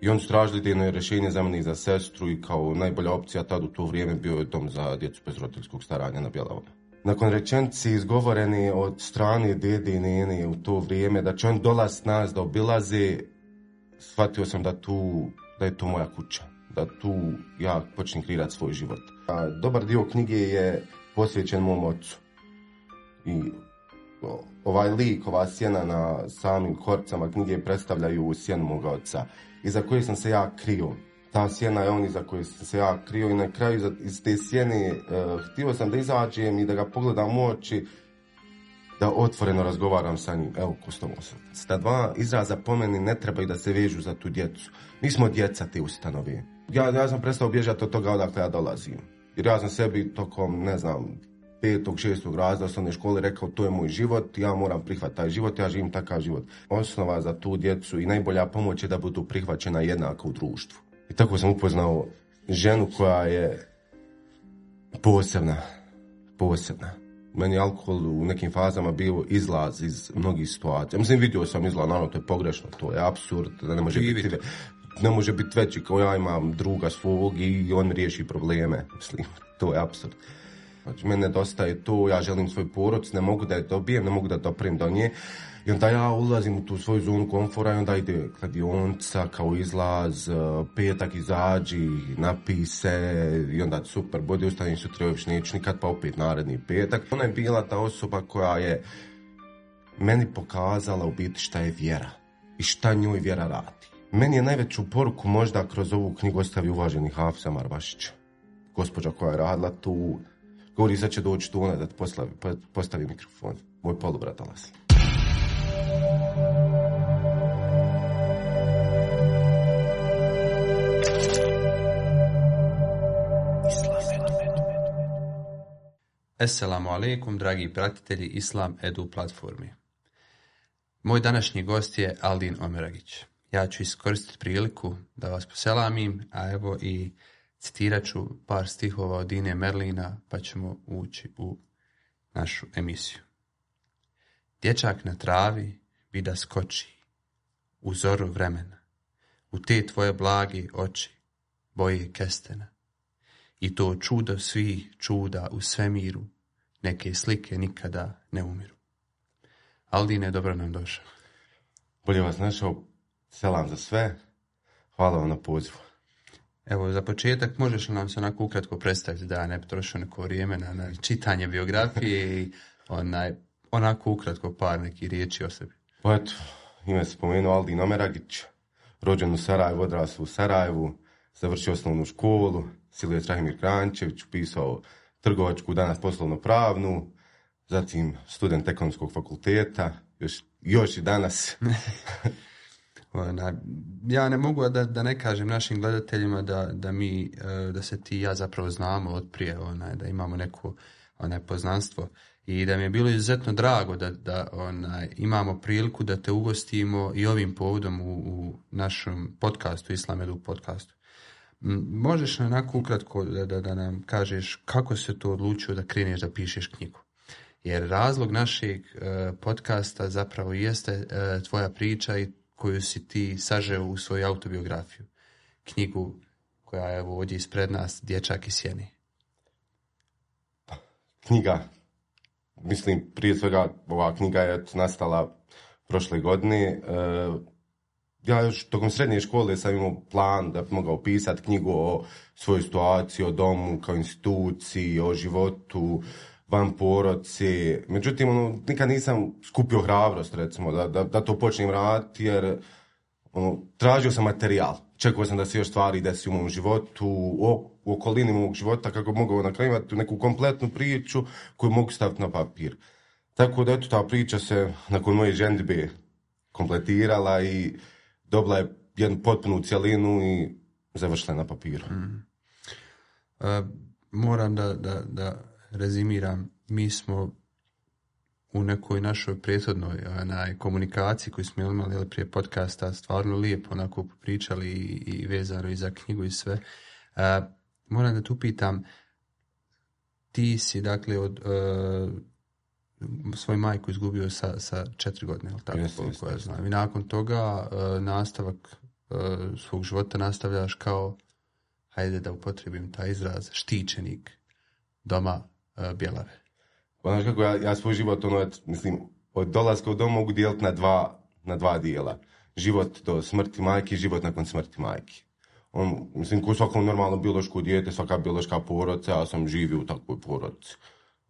I oni su tražili idejno rješenje za mene i za sestru i kao najbolja opcija tad u to vrijeme bio je dom za djecu bez roditeljskog staranja na Bjelavome. Nakon rečenici izgovoreni od strane dede i nene u to vrijeme da će on dolaziti nas da obilaze, shvatio sam da je to moja kuća, da tu ja počnem kreirati svoj život. A dobar dio knjige je posvećen mom ocu. I ovaj lik, ova sjena na samim korcama knjige predstavljaju sjenu moga oca, iza koje sam se ja krio. Ta sjena je on iza koje sam se ja krio i na kraju iz te sjene htio sam da izađem i da ga pogledam u oči, da otvoreno razgovaram sa njim. Evo, Kostomosac. Ta dva izraza po meni ne trebaju da se vežu za tu djecu. Mi smo djeca te ustanove. Ja sam prestao bježati od toga odakle ja dolazim. Jer ja sam sebi tokom, 5. 6. razreda osnovne škole rekao to je moj život, ja moram prihvatiti taj život, ja živim takav život. Osnova za tu djecu i najbolja pomoć je da budu prihvaćena jednako u društvu. I tako sam upoznao ženu koja je posebna. Meni je alkohol u nekim fazama bio izlaz iz mnogih situacija. Mislim, vidio sam izlaz, naravno, to je pogrešno, to je apsurd, da ne može biti veći kao ja imam druga svog i on riješi probleme. Mislim, to je apsurd. Znači, meni nedostaje to, ja želim svoj porodicu, ne mogu da je dobijem, ne mogu da doprem do nje. I onda ja ulazim u tu svoju zonu komfora i onda ide kladionica kao izlaz, petak izađi, napij se i onda super, bodi ustanim sutra još neću nikad pa opet naredni petak. Ona je bila ta osoba koja je meni pokazala u biti šta je vjera i šta njoj vjera radi. Meni je najveću poruku možda kroz ovu knjigu ostavi uvaženi Hafiz Marbašić. Gospođa koja je radila tu, govori sad će doći tu ona da ti postavi mikrofon. Moj polubrat dolazi. Assalamu alaikum, dragi pratitelji Islam Edu platformi. Moj današnji gost je Aldin Omeragić. Ja ću iskoristiti priliku da vas poselamim, a evo i citirat ću par stihova od Dine Merlina, pa ćemo ući u našu emisiju. Dječak na travi vida skoči, u zoru vremena, u te tvoje blagi oči, boje kestena. I to čudo svih čuda u svemiru, neke slike nikada ne umiru. Aldine, dobro nam došao. Bolje vas našao, selam za sve, hvala vam na pozivu. Evo, za početak možeš li nam se onako ukratko predstaviti, da ja ne potrošio neko vrijeme na čitanje biografije i onako ukratko par nekih riječi o sebi. Pa eto, ime se spomenuo Aldin Omeragić, rođen u Sarajevu, odrasao u Sarajevu, završio osnovnu školu, Silvije Trahimir Krančević, upisao trgovačku, danas poslovno pravnu, zatim student ekonomskog fakulteta, još i danas. Ja ne mogu da ne kažem našim gledateljima da se ti i ja zapravo znamo od prije, da imamo neko poznanstvo i da mi je bilo izuzetno drago da imamo priliku da te ugostimo i ovim povodom u našem podcastu, Islam Edu podcastu. Možeš onako ukratko da nam kažeš kako se to odlučio da kreneš da pišeš knjigu? Jer razlog našeg podcasta zapravo jeste tvoja priča i koju si ti sažeo u svoju autobiografiju. Knjigu koja je evo ovdje ispred nas, Dječak iz sjene. Knjiga, mislim prije svega ova knjiga je nastala prošle godine. Ja još tokom srednje škole sam imao plan da bi mogao pisati knjigu o svojoj situaciji, o domu kao instituciji, o životu van porodice. Međutim, nikad nisam skupio hrabrost, recimo, da to počnem raditi, jer tražio sam materijal. Čekao sam da se još stvari desi u mom životu, u okolini mog života, kako bi mogao nakrivati neku kompletnu priču koju mogu staviti na papir. Tako da eto, ta priča se nakon moje ženidbe kompletirala i dobila je jednu potpunu cjelinu i završila na papiru. Moram da rezimiram. Mi smo u nekoj našoj prethodnoj komunikaciji koju smo imali prije podcasta stvarno lijepo onako pričali i vezano i za knjigu i sve. Moram da tu pitam, ti si dakle od svoju majku izgubio sa 4 godine, ili tako, koliko ja znam. I nakon toga nastavak svog života nastavljaš kao, hajde da upotrijebim taj izraz, štićenik doma Bjelave? Pa znaš kako, ja svoj život, mislim, od dolaska u dom mogu dijeliti na dva dijela. Život do smrti majke i život nakon smrti majke. Mislim, ko svako normalno biološko dijete, svaka biološka porodica, ja sam živio u takvoj porodici.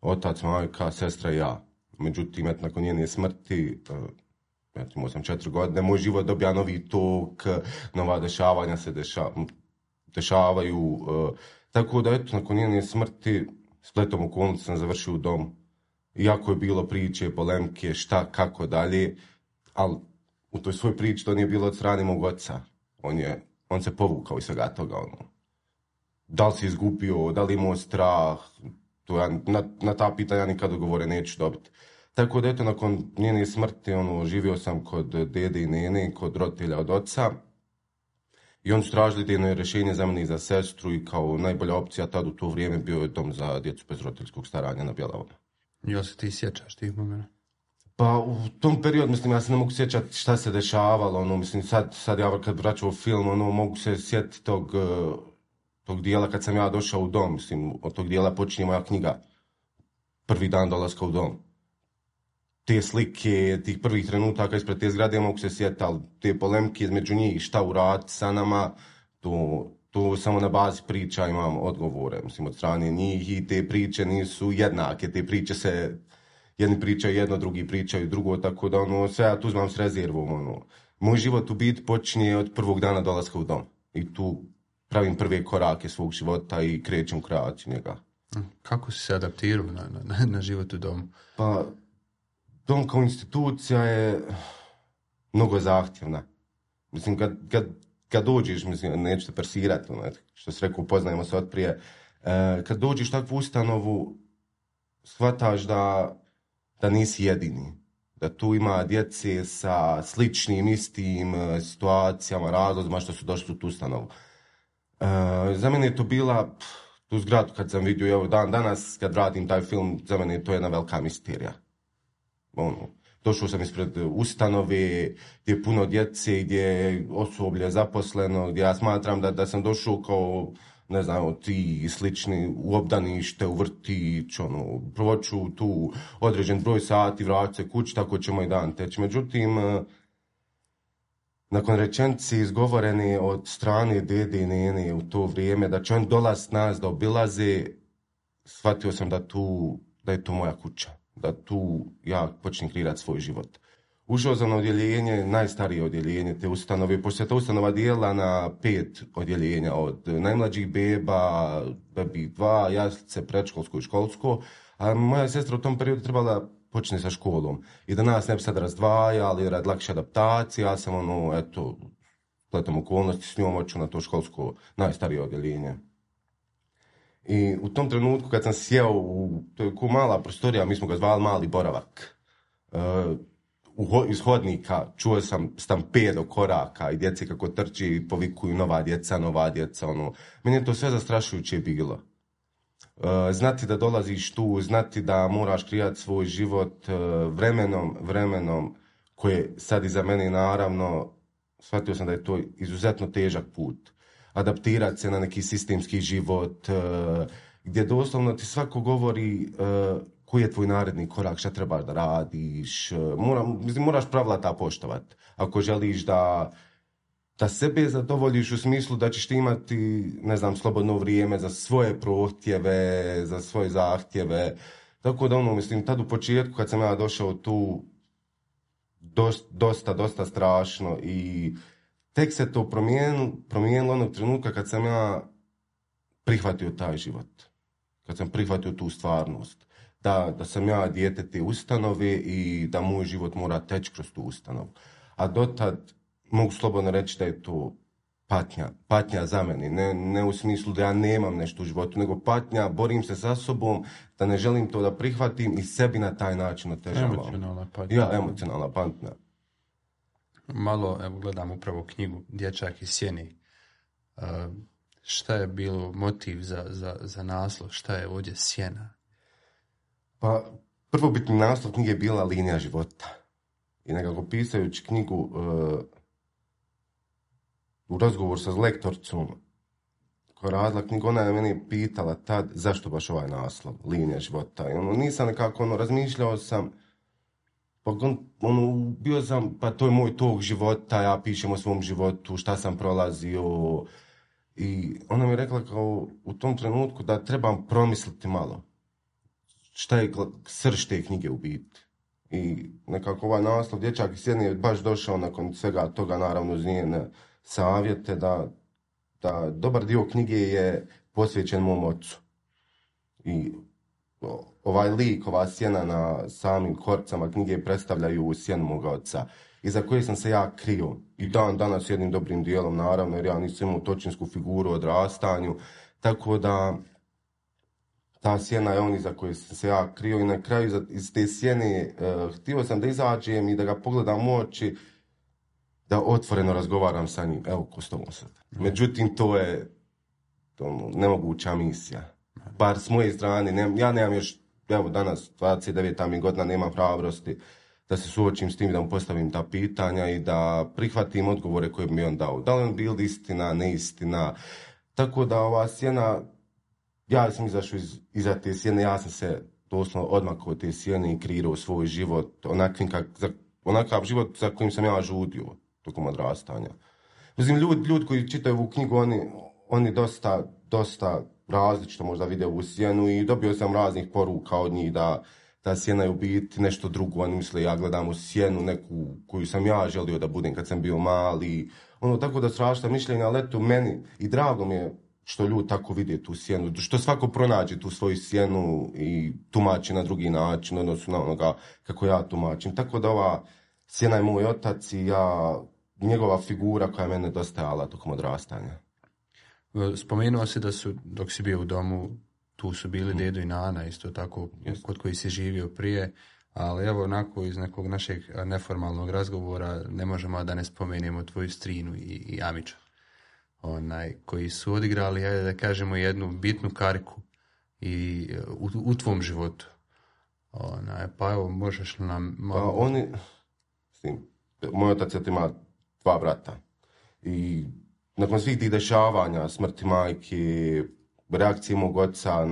Otac, majka, sestra i ja. Međutim, nakon njene smrti, imao sam 4 godine, moj život dobija novi tok, nova dešavanja se dešavaju. Tako da, nakon njene smrti, spletom okolnosti sam završio u dom. Iako je bilo priče, polemke, šta, kako dalje, ali u toj svoj priči to nije bilo od strane mog oca. On se povukao iz svega toga. Da li si izgubio, da li imao strah, to ja, na ta pitanja nikad odgovore neću dobiti. Tako da, nakon njene smrti, živio sam kod dede i nene, kod roditelja od oca. I oni su tražili idejno rješenje za mene i za sestru i kao najbolja opcija tad u to vrijeme bio je dom za djecu bez roditeljskog staranja na Bjelavama. Jel se ti sjećaš tih momenta? Pa u tom periodu, mislim, ja se ne mogu sjećati šta se dešavalo, mislim, sad ja kad vraćam film, mogu se sjetiti tog dijela kad sam ja došao u dom, mislim, od tog dijela počinje moja knjiga, prvi dan dolaska u dom. Te slike, tih prvih trenutaka ispred te zgrade mogu se sjetiti, ali te polemke između njih, šta uraditi sa nama, to samo na bazi priča imam odgovore, mislim, od strane njih i te priče nisu jednake, te priče se, jedni pričaju jedno, drugi pričaju drugo, tako da sve ja tu uzmam s rezervom, Moj život u biti počinje od prvog dana dolaska u dom i tu pravim prve korake svog života i krećem u kreaciju njega. Kako si se adaptirao na život u domu? Pa, dom kao institucija je mnogo zahtjevna. Mislim, kad dođeš, mislim, neću te persirati, što si rekao, upoznajemo se od prije, kad dođeš u takvu ustanovu, shvataš da nisi jedini. Da tu ima djece sa sličnim, istim situacijama, razlozima što su došli u tu ustanovu. Za mene je to bila, tu zgradu kad sam vidio, evo danas kad radim taj film, za mene je to jedna velika misterija. Došao sam ispred ustanove gdje je puno djece, gdje je osoblje zaposleno, gdje ja smatram da sam došao kao, ne znam, ti slični u obdanište, u vrtić, provoću tu određen broj sati, vraću se kući, tako će moj dan teći. Međutim, nakon rečenice izgovorene od strane dede i nene u to vrijeme, da će on dolaziti nas da obilaze, shvatio sam da je to moja kuća. Da tu ja počnem kreirati svoj život. Ušao sam na odjeljenje, najstarije odjeljenje te ustanove, pošto se ta ustanova dijela na 5 odjeljenja, od najmlađih beba, bebi 2, jaslice, predškolsko i školsko, a moja sestra u tom periodu trebala počne sa školom. I da nas ne bi sad razdvajali, rad lakše adaptacije, ja sam spletom okolnosti s njom oču na to školsko najstarije odjeljenje. I u tom trenutku kad sam sjeo to je ko mala prostorija, mi smo ga zvali mali boravak. Iz hodnika čuo sam stampedo koraka i djece kako trči i povikuju nova djeca. Meni je to sve zastrašujuće bilo. Znati da dolaziš tu, znati da moraš kreirati svoj život vremenom koje sad iza mene naravno, shvatio sam da je to izuzetno težak put. Adaptirati se na neki sistemski život, gdje doslovno ti svako govori koji je tvoj naredni korak, šta trebaš da radiš. Moraš pravila ta poštovati. Ako želiš da sebe zadovoljiš u smislu da ćeš ti imati, ne znam, slobodno vrijeme za svoje prohtjeve, za svoje zahtjeve. Tako da mislim, tad u početku kad sam ja došao tu, dosta strašno i tek se to promijenilo onog trenutka kad sam ja prihvatio taj život. Kad sam prihvatio tu stvarnost. Da sam ja dijete te ustanove i da moj život mora teći kroz tu ustanovu. A dotad mogu slobodno reći da je to patnja za mene. Ne u smislu da ja nemam nešto u životu, nego patnja, borim se sa sobom, da ne želim to da prihvatim i sebi na taj način otežavam. Emocionalna patnja. Ja, emocionalna patnja. Malo, evo, gledam upravo knjigu Dječak iz sjeni. Šta je bilo motiv za naslov? Šta je ovdje sjena? Pa, prvobitni naslov knjige je bila Linija života. I nekako pisajući knjigu u razgovoru sa lektoricom koja radila knjigu, ona je meni pitala tad zašto baš ovaj naslov, linija života. I nisam nekako, razmišljao sam, pa bio sam, pa to je moj tog života, ja pišem o svom životu, šta sam prolazio. I ona mi je rekla kao u tom trenutku da trebam promisliti malo šta je srž te knjige u biti. I nekako ovaj naslov Dječak iz Sjene je baš došao nakon svega toga, naravno uz njene savjete, da dobar dio knjige je posvećen mom ocu. I ovaj lik, ova sjena na samim korcama knjige predstavljaju sjenu moga oca, iza koje sam se ja krio. I danas jednim dobrim dijelom, naravno, jer ja nisam imao točinsku figuru u odrastanju, tako da ta sjena je on iza koje sam se ja krio i na kraju iz te sjene htio sam da izađem i da ga pogledam u oči, da otvoreno razgovaram sa njim, evo ko s tobom sad. Međutim, to je nemoguća misija. Bar s moje strane, ja nemam još, evo danas, 29. mi godina, nemam hrabrosti da se suočim s tim, da mu postavim ta pitanja i da prihvatim odgovore koje bi mi on dao. Da li on bil istina, neistina. Tako da ova sjena, ja sam izašao iza te sjene, ja sam se doslovno odmakao od te sjene i kreirao svoj život, onakav život za kojim sam ja žudio tokom odrastanja. Mislim, ljudi koji čitaju ovu knjigu, oni dosta različito možda vide ovu sjenu i dobio sam raznih poruka od njih da ta sjena je u biti nešto drugo. Oni misle ja gledam u sjenu neku koju sam ja želio da budem kad sam bio mali. Tako da strašna mišljenja, ali eto meni i drago mi je što ljudi tako vide tu sjenu, što svako pronađe tu svoju sjenu i tumači na drugi način, odnosno na onoga kako ja tumačim. Tako da ova sjena je moj otac i njegova figura koja je mene dostajala tokom odrastanja. Spomenuo si da su, dok si bio u domu, tu su bili dedo i nana, isto tako, kod koji si živio prije, ali evo onako iz nekog našeg neformalnog razgovora ne možemo da ne spomenemo tvoju strinu i Amića, koji su odigrali, ajde da kažemo, jednu bitnu kariku i u tvom životu. Pa evo, možeš li nam... Moj otac ima 2 brata i nakon svih tih dešavanja, smrti majke, reakcije mog oca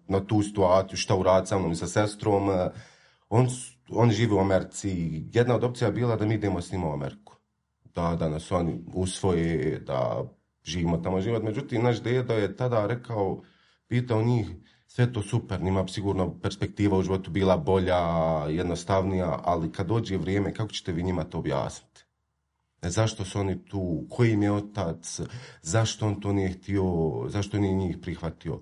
na tu situaciju, šta uraditi sa mnom i sa sestrom, oni žive u Americi. Jedna od opcija je bila da mi idemo s njima u Ameriku. Da nas oni usvoje, da živimo tamo život. Međutim, naš dedo je tada pitao njih, sve to super, njima sigurno perspektiva u životu bila bolja, jednostavnija, ali kad dođe vrijeme, kako ćete vi njima to objasniti? Zašto su oni tu, koji im je otac, zašto on to nije htio, zašto nije njih prihvatio.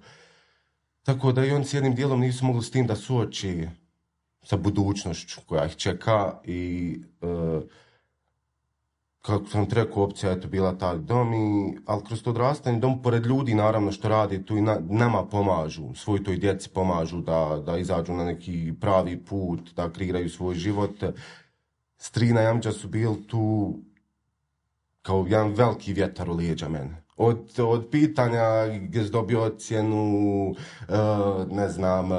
Tako da i oni s jednim dijelom nisu mogli s tim da suoči sa budućnošću koja ih čeka i kako sam ti rekao, opcija je to bila taj dom, ali kroz to odrastanje dom pored ljudi naravno što radi tu i nama pomažu, svoj toj djeci pomažu da izađu na neki pravi put, da kreiraju svoj život. Strina i Amđa su bili tu kao jedan veliki vjetar u lijeđa mene. Od pitanja gdje si dobio ocjenu, ne znam,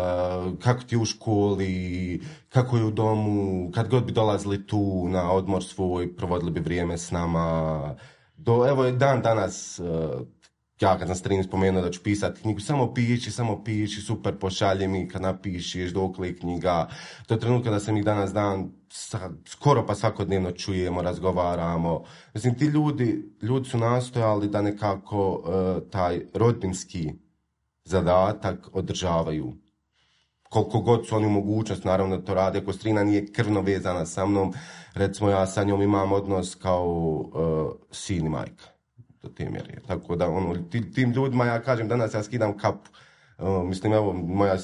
kako ti u školi, kako je u domu, kad god bi dolazili tu na odmor svoj, provodili bi vrijeme s nama. Evo je danas, ja kad sam Strini spomenuo da ću pisati knjigu, samo piši, super, pošalje mi kad napišeš, dokle je knjiga. Do trenutka da sam ih danas dan, skoro pa svakodnevno čujemo, razgovaramo. Mislim, ti ljudi su nastojali da nekako taj rodbinski zadatak održavaju. Koliko god su oni u mogućnost, naravno da to rade, ako Strina nije krvno vezana sa mnom, recimo ja sa njom imam odnos kao sin i majka. Do te mjere. Tako da tim ljudima ja kažem danas ja skidam kapu. Mislim, evo, moja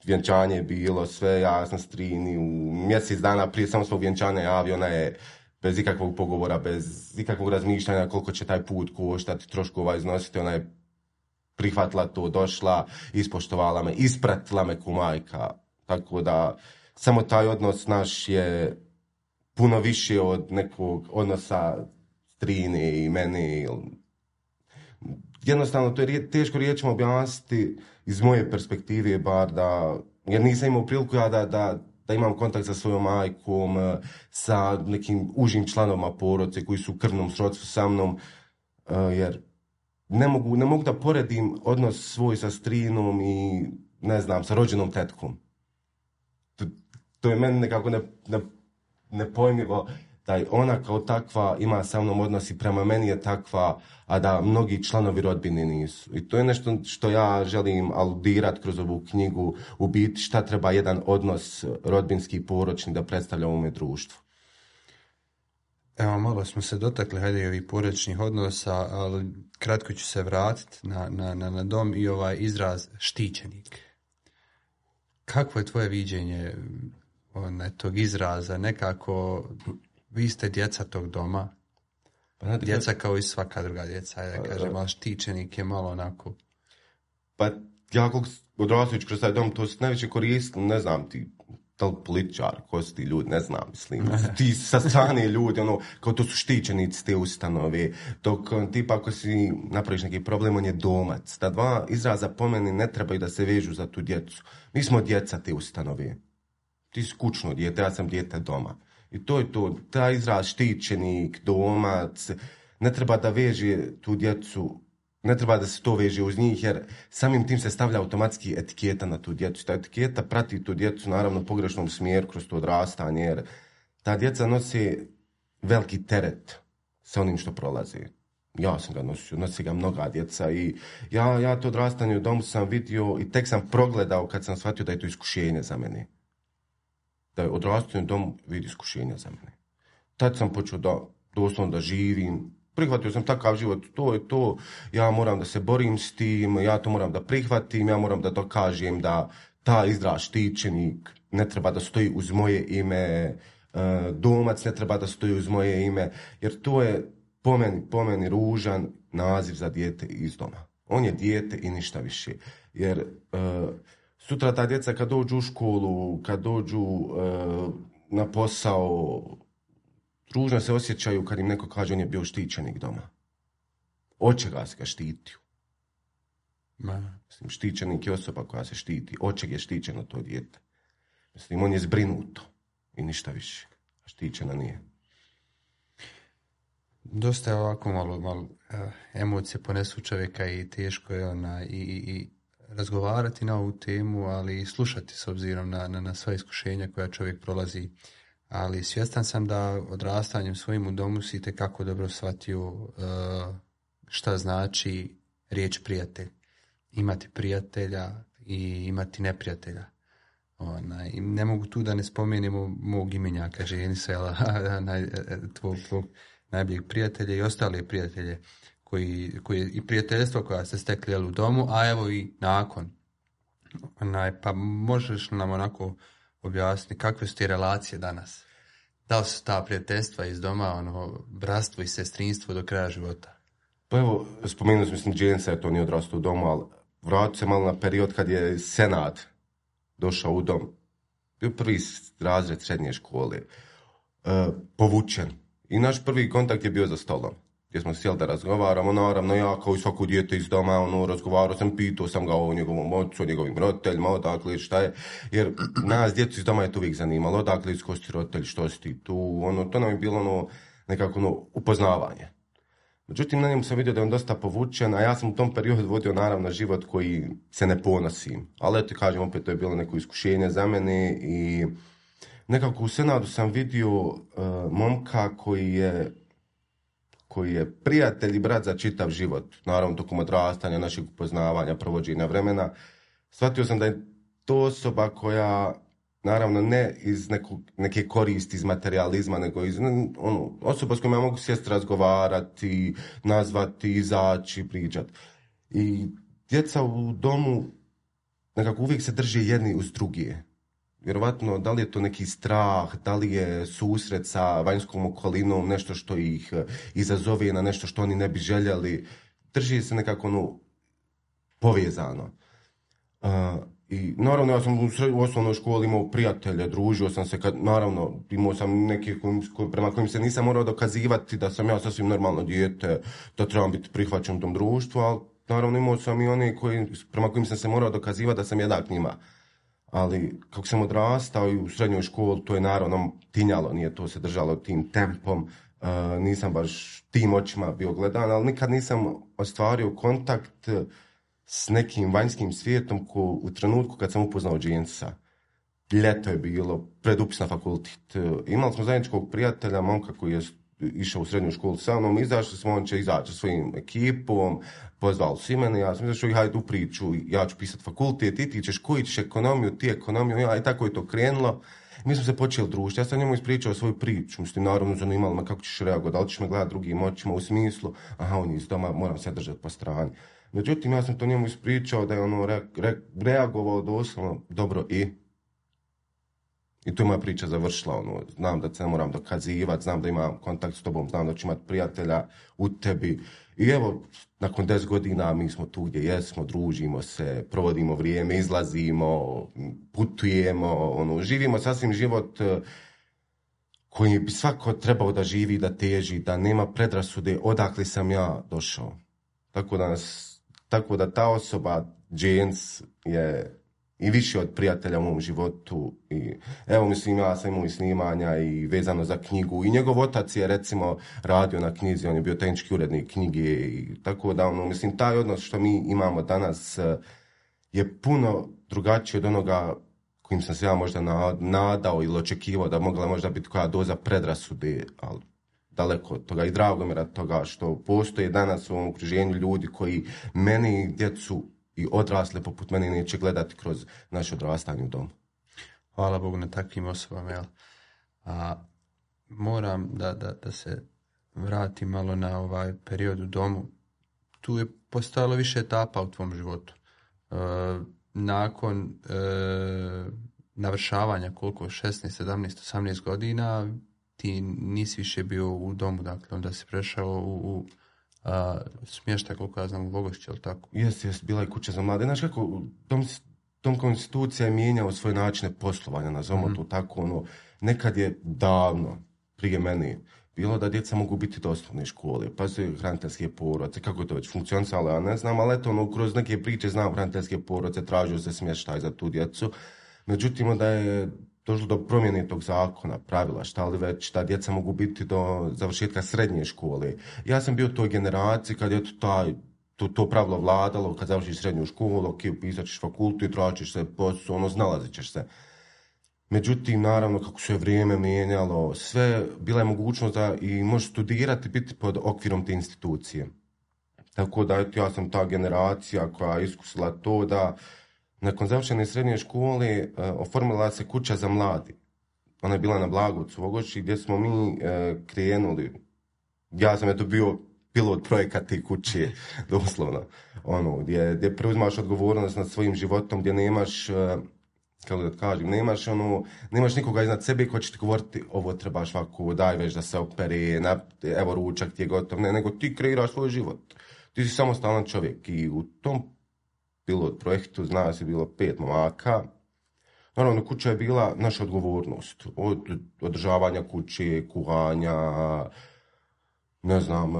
vjenčanje je bilo sve, ja sam Strini u mjesec dana prije samo svog vjenčanja javio, ona je bez ikakvog pogovora, bez ikakvog razmišljanja koliko će taj put koštati, troškova iznositi, ona je prihvatila to, došla, ispoštovala me, ispratila me ko majka. Tako da samo taj odnos naš je puno više od nekog odnosa Strine i mene. Jednostavno, to je teško riječima objasniti iz moje perspektive, bar jer nisam imao priliku ja da imam kontakt sa svojom majkom, sa nekim užim članovima porodice koji su u krvnom srodstvu sa mnom. jer ne mogu da poredim odnos svoj sa strinom i, ne znam, sa rođenom tetkom. To je meni nekako nepojmljivo da ona kao takva ima sa mnom odnos i prema meni je takva, a da mnogi članovi rodbine nisu. I to je nešto što ja želim aludirati kroz ovu knjigu, u biti šta treba jedan odnos rodbinski i poročni da predstavlja u ovome društvu. Evo, malo smo se dotakli, hajde, i ovih porodičnih odnosa, ali kratko ću se vratiti na dom i ovaj izraz štićenik. Kakvo je tvoje viđenje tog izraza? Nekako, vi ste djeca tog doma, djeca kao i svaka druga djeca, ja kažem, ali štićenik je malo onako... Pa ja kako odrastajući kroz taj dom, to se najveće koristili, ne znam ti, da li političar, ko su ti ljudi, ne znam, mislim, ti sa strane ljudi, kao to su štićenici te ustanove, dok tipa ako si napraviš neki problem, on je domac. Ta dva izraza po meni ne trebaju da se vežu za tu djecu. Mi smo djeca te ustanove. Ti si kućno dijete, ja sam dijete doma. I to je to, taj izraz štićenik, domac, ne treba da veže tu djecu, ne treba da se to veže uz njih, jer samim tim se stavlja automatski etiketa na tu djecu. Ta etiketa prati tu djecu, naravno, u pogrešnom smjeru kroz to odrastanje, jer ta djeca nosi veliki teret sa onim što prolazi. Ja sam ga nosio, nosi ga mnoga djeca i ja to odrastanje u domu sam vidio i tek sam progledao kad sam shvatio da je to iskušenje za mene. Da je odrastanje u domu vidi iskušenja za mene. Tad sam počeo da doslovno da živim. Prihvatio sam takav život, to je to, ja moram da se borim s tim, ja to moram da prihvatim, ja moram da dokažem da ta izraz štićenik ne treba da stoji uz moje ime, domac ne treba da stoji uz moje ime, jer to je po meni ružan naziv za dijete iz doma. On je dijete i ništa više, jer sutra ta djeca kad dođu u školu, kad dođu na posao, ružno se osjećaju kad im neko kaže on je bio štićenik doma. Od čega se ga štitio? Mislim, štićenik je osoba koja se štiti. Od čega je štićeno to dijete? Mislim, on je zbrinuto i ništa više. A štićena nije. Dosta je ovako malo emocije ponesu čovjeka i teško je i razgovarati na ovu temu, ali i slušati s obzirom na sva iskušenja koja čovjek prolazi. Ali svjestan sam da odrastanjem svojim u domu si itekako dobro shvatio šta znači riječ prijatelj. Imati prijatelja i imati neprijatelja. I ne mogu tu da ne spomenemo mog imenjaka, Ženisela, tvog najboljeg prijatelja i ostale prijatelje koji i prijateljstvo koja se stekli u domu, a evo i nakon. Pa možeš nam onako objasniti kakve su ti relacije danas? Da li su ta prijateljstva iz doma, bratstvo i sestrinstvo do kraja života? Pa evo, spomenuo sam, Dženisa je to nije odrastao u domu, ali vratio se malo na period kad je Senad došao u dom. Bio prvi razred srednje škole, povučen. I naš prvi kontakt je bio za stolom, gdje smo sjeli da razgovaramo. Naravno, ja kao i svako dijete iz doma, razgovarao sam, pitao sam ga o njegovom ocu, o njegovim roditeljima, odakle, šta je. Jer nas, djecu iz doma, je to uvijek zanimalo, odakle, iz ko si roditelj, što si ti tu, to nam je bilo nekako upoznavanje. Međutim, na njemu sam vidio da je on dosta povučen, a ja sam u tom periodu vodio naravno život koji se ne ponosim. Ali eto, kažem, opet to je bilo neko iskušenje za mene i nekako u Senadu sam vidio momka koji je prijatelj i brat za čitav život. Naravno, tokom odrastanja, našeg upoznavanja, provođenja vremena. Shvatio sam da je to osoba koja, naravno, ne iz neke koristi, iz materializma, nego iz osoba s kojom ja mogu sjesti, razgovarati, nazvati, izaći, pričati. I djeca u domu nekako uvijek se drže jedni uz druge. Vjerovatno, da li je to neki strah, da li je susret sa vanjskom okolinom, nešto što ih izazove na nešto što oni ne bi željeli. Drži se nekako povezano. I naravno, ja sam u osnovnoj školi imao prijatelje, družio sam se, naravno, imao sam neke prema kojim se nisam morao dokazivati da sam ja sasvim normalno dijete, da trebam biti prihvaćen u tom društvu, ali naravno imao sam i one prema kojim sam se morao dokazivati da sam jednak njima. Ali kako sam odrastao i u srednjoj školi, to je naravno tinjalo, nije to se držalo tim tempom. nisam baš tim očima bio gledan, ali nikad nisam ostvario kontakt s nekim vanjskim svijetom u trenutku kad sam upoznao Jamesa. Ljeto je bilo, pred upis na fakultet. Imali smo zajedničkog prijatelja, momka koji je išao u srednju školu sa mnom, izašli smo, on će izaći sa svojim ekipom, pozvali su i mene, ja sam izašao i hajde u priču, ja ću pisati fakultet, ti ćeš koji ćeš ekonomiju, ti ekonomiju, ja, i tako je to krenulo. Mi smo se počeli družiti, ja sam njemu ispričao svoju priču, mislim, naravno zanimalo me kako ćeš reagovati, da li ćeš me gledati drugim očima u smislu, aha, on je iz doma, moram se držati po strani. Međutim, ja sam to njemu ispričao da je ono reagovao doslovno dobro i tu je moja priča završila, ono, znam da se ne moram dokazivati, znam da imam kontakt s tobom, znam da ću imati prijatelja u tebi. I evo, nakon 10 godina mi smo tu gdje jesmo, družimo se, provodimo vrijeme, izlazimo, putujemo, ono, živimo sasvim život koji bi svako trebao da živi, da teži, da nema predrasude odakle sam ja došao. Tako da ta osoba, James, je i više od prijatelja u mom životu. I evo, mislim, ja sam imao i snimanja i vezano za knjigu. I njegov otac je, recimo, radio na knjizi, on je bio tehnički urednik knjige. I tako da, ono, mislim, taj odnos što mi imamo danas je puno drugačiji od onoga kojim sam se ja možda nadao ili očekivao da mogla možda biti koja doza predrasude, ali daleko od toga. I drago mi je toga što postoje danas u ovom okruženju ljudi koji meni, djecu i odrasle poput mene neće gledati kroz naše odrastanje u domu. Hvala Bogu na takvim osobama, jel? Moram da se vratim malo na ovaj period u domu. Tu je postojalo više etapa u tvom životu. Nakon navršavanja koliko, 16, 17, 18 godina, ti nisi više bio u domu, dakle, onda si prešao u smještaj, koliko ja znam, u Vogošći, ali tako? Jes, bila je kuća za mlade. Znaš kako, dom konstitucija je mijenjao svoje načine poslovanja, nazovimo to tako, ono, nekad je davno, prije mene, bilo da djeca mogu biti do osnovne škole, pa su hraniteljske porodice, kako je to već funkcionisalo, ja ne znam, ali eto, ono, kroz neke priče znam hraniteljske porodice, tražio se smještaj za tu djecu. Međutim, onda je došlo do promjene tog zakona, pravila, šta li već, da djeca mogu biti do završetka srednje škole. Ja sam bio u toj generaciji kad je to pravilo vladalo, kad završiš srednju školu, ok, upisat ćeš fakultet, tražiš se posao, ono, snalazit ćeš se. Međutim, naravno, kako se vrijeme mijenjalo, sve, bila je mogućnost da i možeš studirati, biti pod okvirom te institucije. Tako da, ja sam ta generacija koja je iskusila to da nakon završene srednje škole oformila se kuća za mladi. Ona je bila na Blagovcu, Vogošći, gdje smo mi krenuli. Ja sam bio pilot projekta te kuće, doslovno. Ono, gdje preuzimaš odgovornost nad svojim životom, gdje nemaš, kako da kažem, nemaš nikoga iznad sebe ko će ti govoriti ovo trebaš ovako, daj već da se opere, evo ručak ti je gotov. Ne, nego ti kreiraš svoj život. Ti si samostalan čovjek i u tom pilot projektu, zna se, bilo 5 momaka. Naravno, kuća je bila naša odgovornost. Od održavanja kuće, kuhanja, ne znam,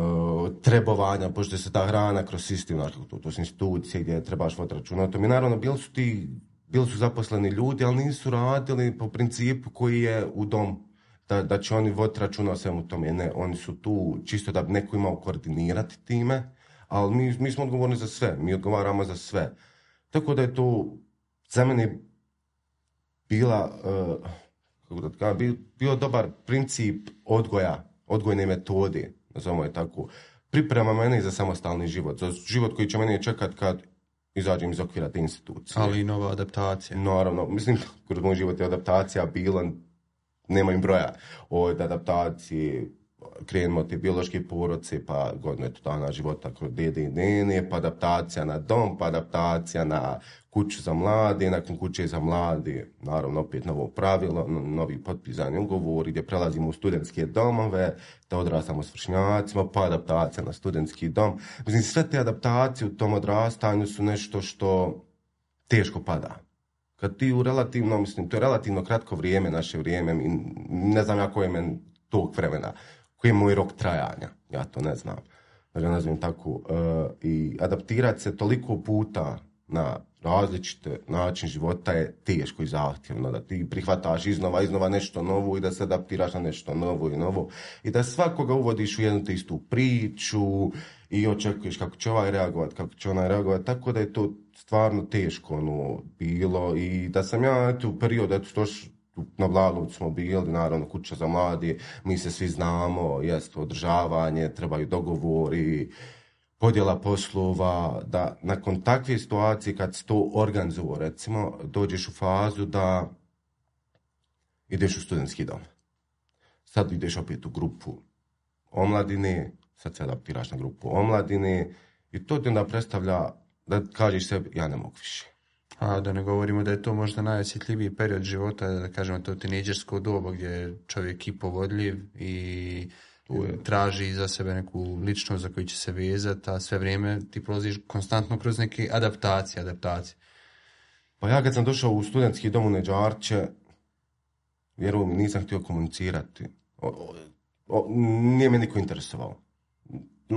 trebovanja, pošto se ta hrana kroz sistem, to su institucije gdje trebaš voditi računa o tome. Naravno, bili su zaposleni ljudi, ali nisu radili po principu koji je u dom, da će oni voditi računa o svemu tome. Ne, oni su tu čisto da bi neko imao koordinirati time, ali mi smo odgovorni za sve, mi odgovaramo za sve. Tako da je to za mene bio dobar princip odgojne metode, nazovimo je tako. Priprema mene za samostalni život, za život koji će mene čekati kad izađem iz okvira te institucije. Ali i nova adaptacija. Naravno, mislim, kroz moj život je adaptacija bila, nema im broja, od adaptacije, krenemo od te biološke porodice, pa godinu dana života kod dede i nene, pa adaptacija na dom, pa adaptacija na kuću za mlade, nakon kuće za mlade, naravno opet novo pravilo, novi potpisani ugovori gdje prelazimo u studentske domove, da odrastamo s vršnjacima, pa adaptacija na studentski dom. Mislim, sve te adaptacije u tom odrastanju su nešto što teško pada. Kad ti to je relativno kratko vrijeme, naše vrijeme, ne znam ja koje je meni tog vremena, koji je moj rok trajanja, ja to ne znam, da ga nazovem tako, i adaptirati se toliko puta na različite način života je teško i zahtjevno, da ti prihvataš iznova nešto novo i da se adaptiraš na nešto novo i novo i da svakoga uvodiš u jednu te istu priču i očekuješ kako će ovaj reagovati, kako će onaj reagovati, tako da je to stvarno teško bilo i da sam ja u periodu, na Blagovcu smo bili, naravno kuća za mladi, mi se svi znamo, jest održavanje, trebaju dogovori, podjela poslova, da nakon takve situacije kad se to organizuje, recimo, dođeš u fazu da ideš u studentski dom. Sad ideš opet u grupu omladine, sad se adaptiraš na grupu omladine i to ti onda predstavlja da kažeš sebi, ja ne mogu više. A da ne govorimo da je to možda najosjetljiviji period života, da kažemo to tinejdžersko doba gdje je čovjek i povodljiv i traži za sebe neku ličnost za koju će se vezati, a sve vrijeme ti prolaziš konstantno kroz neke adaptacije. Pa ja kad sam došao u studentski dom u Neđarče, vjerujem mi, nisam htio komunicirati. Nije me niko interesovao.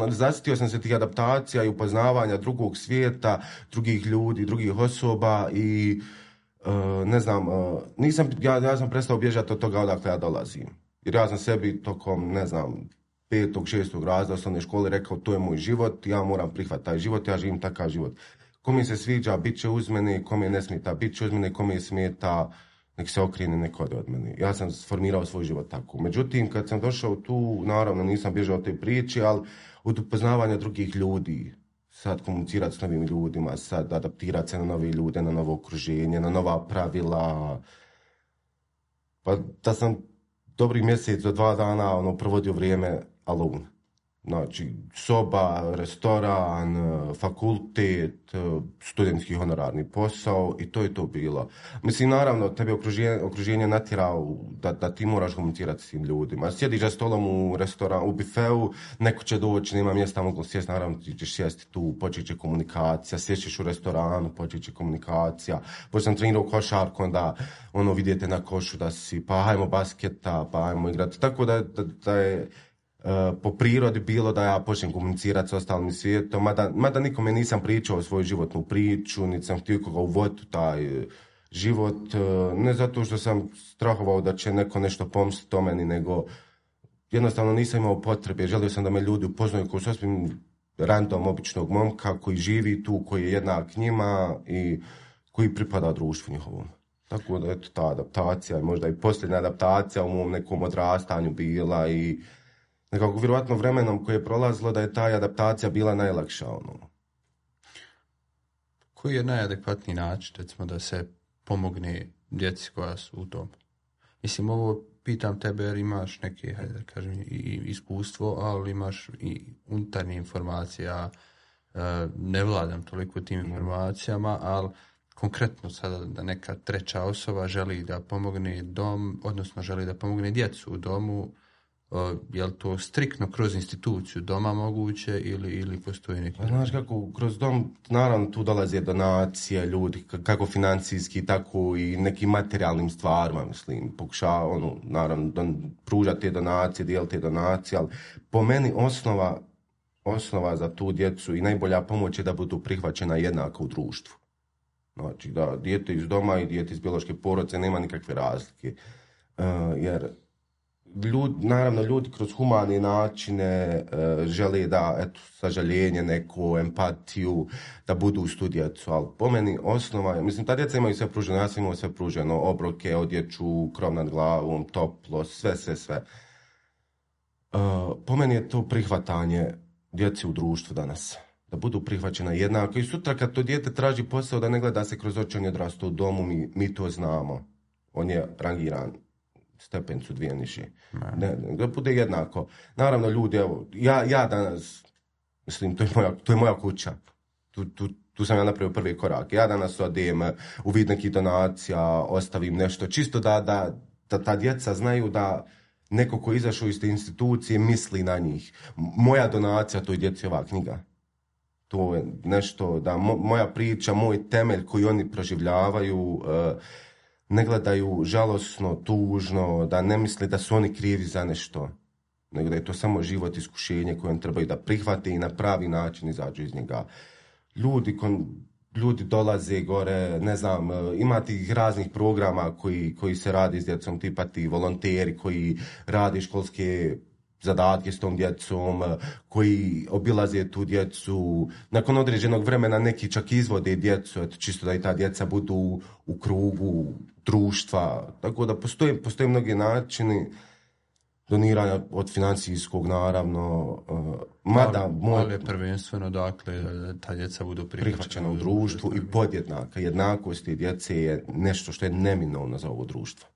Zasjetio sam se tih adaptacija i upoznavanja drugog svijeta, drugih ljudi, drugih osoba i ne znam, ja sam prestao bježati od toga odakle ja dolazim. Jer ja sam sebi tokom, ne znam, 5. 6. razreda osnovne škole rekao to je moj život, ja moram prihvatiti taj život, ja živim takav život. Kome se sviđa, bit će uz mene, kome ne smeta, bit će uz mene, kome smeta, nek se okrene, nek ode od mene. Ja sam sformirao svoj život tako. Međutim, kad sam došao tu, naravno nisam bježao od te priče, ali od upoznavanja drugih ljudi, sad komunicirati s novim ljudima, sad adaptirati se na nove ljude, na novo okruženje, na nova pravila. Pa da sam dobrih mjesec do 2 dana provodio vrijeme alone. Znači, soba, restoran, fakultet, studentski honorarni posao i to je to bilo. Mislim, naravno, tebe okruženje natjerao da ti moraš komunicirati s tim ljudima. Sjediš za stolom u restoranu, u bifeu, neko će doći, nema mjesta, mogu sjesti, naravno ti ćeš sjesti tu, počet će komunikacija, sješćeš u restoranu, počet će komunikacija. Pošto sam trenirao košarku, onda vidite na košu da si, pa hajmo basketa, pa hajmo igrati. Tako da je po prirodi bilo da ja počnem komunicirati s ostalim svijetom, mada nikome nisam pričao svoju životnu priču, niti sam htio koga uvoditi u taj život, ne zato što sam strahovao da će neko nešto pomisliti o meni, nego jednostavno nisam imao potrebe, želio sam da me ljudi upoznaju kao sasvim random običnog momka koji živi tu, koji je jednak njima i koji pripada društvu njihovom. Tako da eto, ta adaptacija, možda i posljednja adaptacija u mom nekom odrastanju bila i nekako vjerovatno vremenom koje je prolazilo da je ta adaptacija bila najlakša. Koji je najadekvatniji način, recimo, da se pomogne djeci koja su u tom? Mislim, ovo pitam tebe jer imaš neke, hajde da kažem, i iskustvo, ali imaš i unutarnje informacije. Ja ne vladam toliko tim informacijama, ali konkretno sada da neka treća osoba želi da pomogne dom, odnosno želi da pomogne djecu u domu, je li to striktno kroz instituciju doma moguće ili postoji neki? Znaš kako, kroz dom naravno tu dolaze donacije ljudi, kako financijski, tako i nekim materijalnim stvarima, mislim, pokušava naravno pružati te donacije, dijeliti te donacije, ali po meni osnova za tu djecu i najbolja pomoć je da budu prihvaćena jednako u društvu. Znači da dijete iz doma i dijete iz biološke porodice nema nikakve razlike, jer naravno ljudi kroz humane načine žele da, eto, sažaljenje, neku empatiju, da budu uz tu djecu, ali po meni osnova je, mislim, ta djeca imaju sve pruženo, ja sam imao sve pruženo, obroke, odjeću, krov nad glavom, toplo, sve. Po meni je to prihvatanje djeci u društvu danas, da budu prihvaćena jednako i sutra kad to dijete traži posao da ne gleda se kroz oči, on je odrastao u domu, mi to znamo, on je rangiran stepencu 2 niže. Da bude jednako. Naravno, ljudi, evo, ja danas, mislim, to je moja kuća. Tu sam ja napravio prvi korak. Ja danas odem u vid nekih donacija, ostavim nešto, čisto da ta djeca znaju da neko ko je izašao iz te institucije misli na njih. Moja donacija toj djeci je ova knjiga. To je nešto, da moja priča, moj temelj koji oni proživljavaju, ne gledaju žalosno, tužno, da ne misle da su oni krivi za nešto, nego da je to samo život, iskušenje koje oni trebaju da prihvate i na pravi način izađu iz njega. ljudi dolaze gore, ne znam, ima tih raznih programa koji se radi s djecom, tipa ti volonteri koji radi školske zadatke s tom djecom, koji obilaze tu djecu. Nakon određenog vremena neki čak izvode djecu, eto, čisto da i ta djeca budu u krugu društva. Tako da postoje mnogi načini doniranja od financijskog, naravno. Ali je prvenstveno, dakle, da ta djeca budu prihvaćena u društvu i podjednaka. Jednakost te djece je nešto što je neminovno za ovo društvo.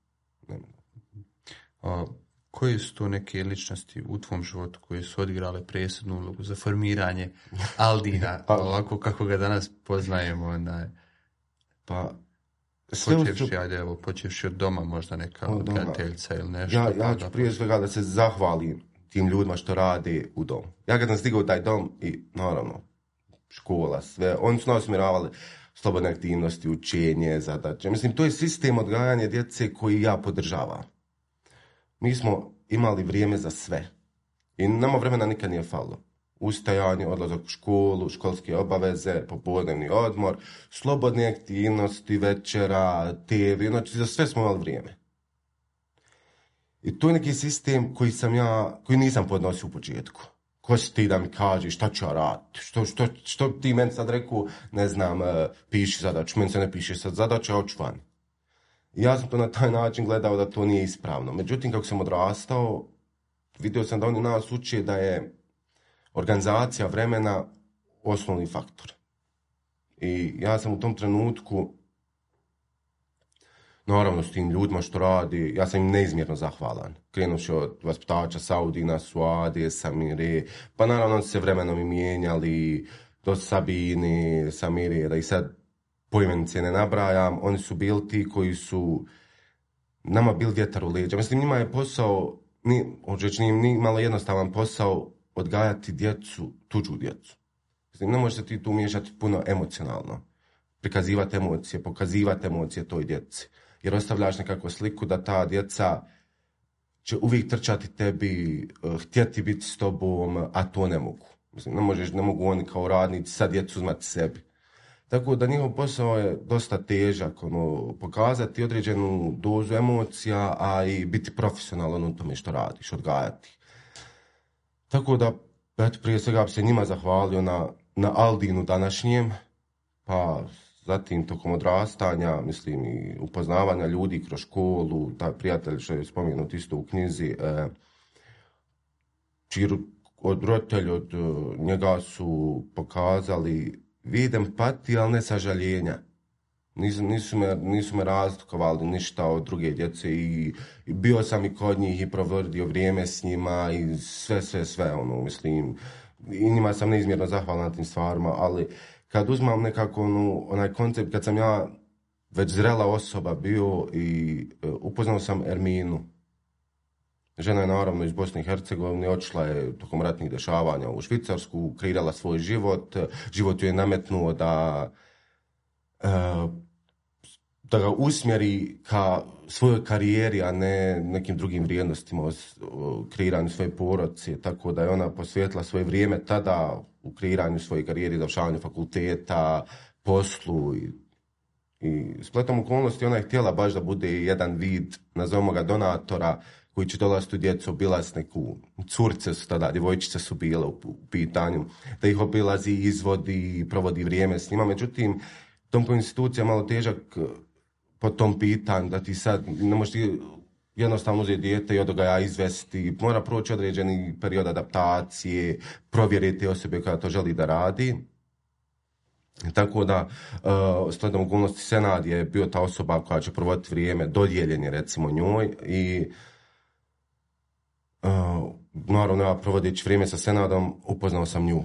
Koje su to neke ličnosti u tvom životu koje su odigrale presudnu ulogu za formiranje Aldina, ovako kako ga danas poznajemo? Pa, počevši od doma, možda neka odgajateljica ili nešto. Ja ću prije svega da se zahvalim tim ljudima što rade u domu. Ja kad sam stigao u taj dom i naravno škola, sve, oni su nas usmjeravali slobodne aktivnosti, učenje, zadaće. Mislim, to je sistem odgajanja djece koji ja podržavam. Mi smo imali vrijeme za sve i nama vremena nikad nije falilo. Ustajanje, odlazak u školu, školske obaveze, popodnevni odmor, slobodne aktivnosti, večera, TV, znači za sve smo imali vrijeme. I to je neki sistem koji nisam podnosio u početku. Ko si ti da mi kažeš šta ću ja raditi? Što ti meni sad rekao, ne znam, piši zadaču, meni se ne piše sad zadača, hoću van. I ja sam to na taj način gledao da to nije ispravno. Međutim, kako sam odrastao, vidio sam da oni nas uče da je organizacija vremena osnovni faktor. I ja sam u tom trenutku, naravno s tim ljudima što radi, ja sam im neizmjerno zahvalan. Krenuši od vaspitača Saudina, Suade, Samire, pa naravno se vremenom i mijenjali, do Sabine, Samire, da i sad poimenice ne nabrajam, oni su bili ti koji su nama bili vjetar u leđa. Mislim, njima je posao, nije malo jednostavan posao odgajati djecu, tuđu djecu. Mislim, ne može se ti tu miješati puno emocionalno. Prikazivati emocije, pokazivati emocije toj djeci. Jer ostavljaš nekakvu sliku da ta djeca će uvijek trčati tebi, htjeti biti s tobom, a to ne mogu. Mislim, ne mogu oni kao radnici sad djecu uzmati sebi. Tako da njihov posao je dosta težak, pokazati određenu dozu emocija, a i biti profesionalan u tome što radiš, odgajati. Tako da, prije svega bi se njima zahvalio na Aldinu današnjem, pa zatim tokom odrastanja, mislim i upoznavanja ljudi kroz školu, taj prijatelj što je spomenut isto u knjizi, čiji roditelji od njega su pokazali vid empatije, ali ne sažaljenja. Nisu me razlikovali ništa od druge djece i bio sam i kod njih i provodio vrijeme s njima i sve, mislim, i njima sam neizmjerno zahvalan na tim stvarima, ali kad uzmam nekako onaj koncept, kad sam ja već zrela osoba bio i upoznao sam Erminu. Žena je naravno iz Bosne i Hercegovine, otišla je tokom ratnih dešavanja u Švicarsku, kreirala svoj život, život ju je nametnuo da ga usmjeri ka svojoj karijeri, a ne nekim drugim vrijednostima, kreiranju svoje porodice, tako da je ona posvetila svoje vrijeme tada u kreiranju svoje karijere, završavanju fakulteta, poslu i spletom okolnosti ona je htjela baš da bude jedan vid, nazovimo ga donatora, koji će dolaziti u djecu, obilaziti neku, curce su tada, djevojčice su bile u pitanju, da ih obilazi, izvodi, provodi vrijeme s njima. Međutim, tom po institucija malo težak po tom pitanju, da ti sad ne možeš jednostavno uzeti dijete i od ga izvesti, mora proći određeni period adaptacije, provjeriti osobe koja to želi da radi. Tako da, slijedom okolnosti, Senad je bio ta osoba koja će provoditi vrijeme, dodijeljen je recimo njoj i naravno ja provodeći vrijeme sa Senadom upoznao sam nju.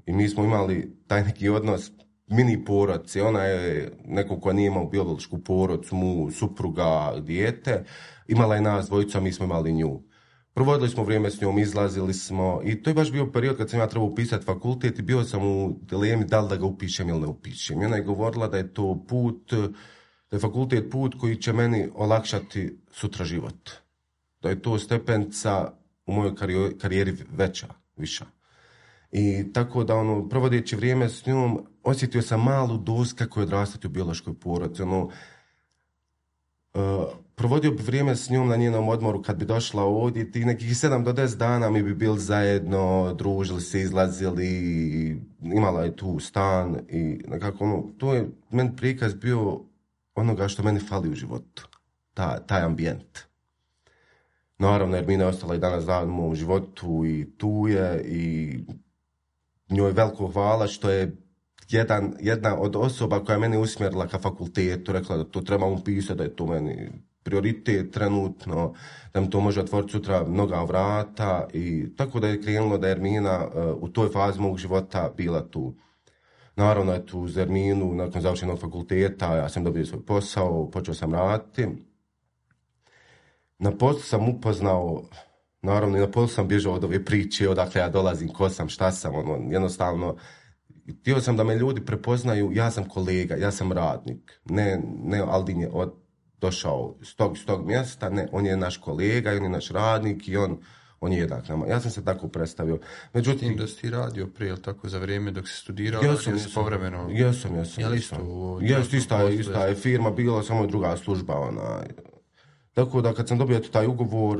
I mi smo imali taj neki odnos mini porodci, ona je neko ko nije imao biološku porodcu, mu supruga, dijete, imala je nas dvojicu, a mi smo imali nju. Provodili smo vrijeme s njom, izlazili smo i to je baš bio period kad sam ja trebao upisati fakultet i bio sam u dilemi da li da ga upišem ili ne upišem. I ona je govorila da je to put, da je fakultet put koji će meni olakšati sutra život. Da je to stepenca u mojoj karijeri viša. I tako da, provodeći vrijeme s njom, osjetio sam malu doz kako je odrastati u biološkoj porodici. Provodio bi vrijeme s njom na njenom odmoru kad bi došla ovdje, i nekih 7 do 10 dana mi bi bili zajedno, družili se, izlazili, imala je tu stan i nekako, to je meni prikaz bio onoga što meni fali u životu, taj ambijent. Naravno, Ermina je ostala i danas dan u mom životu i tu je, i njoj veliko hvala što je jedna od osoba koja je mene usmjerila ka fakultetu, rekla da to trebam upisati, da je to meni prioritet trenutno, da mi to može otvoriti sutra mnoga vrata, i tako da je krenulo da je Ermina u toj fazi mog života bila tu. Naravno je tu uz Erminu, nakon završenog fakulteta, ja sam dobio svoj posao, počeo sam raditi. Na poslu sam upoznao, naravno i na poslu sam bježao od ove priče, odakle ja dolazim, ko sam, šta sam, jednostavno, htio sam da me ljudi prepoznaju, ja sam kolega, ja sam radnik, ne Aldin je došao s tog mjesta, ne, on je naš kolega, on je naš radnik i on je jednak nama. Ja sam se tako predstavio. Međutim, da si ti radio prije, tako za vrijeme dok si studirao, jesam povremeno... Jesam. Ista je firma bila, samo druga služba. Tako da kad sam dobio taj ugovor,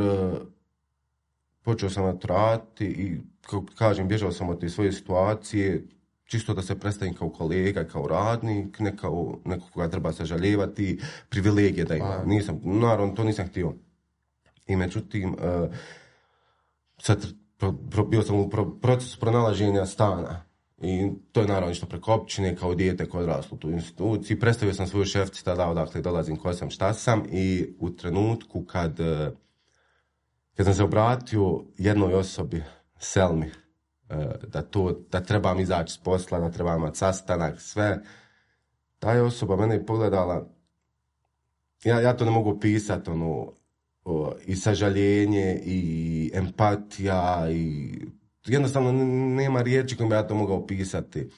počeo sam raditi i, kako kažem, bježao sam od te svoje situacije, čisto da se predstavim kao kolega, kao radnik, ne kao neko koga treba sažaljevati, privilegije da ima. Naravno, to nisam htio. I međutim, sad bio sam u procesu pronalaženja stana. I to je naravno išlo preko općine, kao dijete koje odraslo u tu instituciji. Predstavio sam svoju šefici tada odakle dolazim, ko sam, šta sam, i u trenutku kad sam se obratio jednoj osobi, Selmi, da trebam izaći s posla, da trebam imati sastanak, sve, ta je osoba mene pogledala, ja to ne mogu opisati, i sažaljenje, i empatija, i jednostavno nema riječi kojim bi ja to mogao opisati.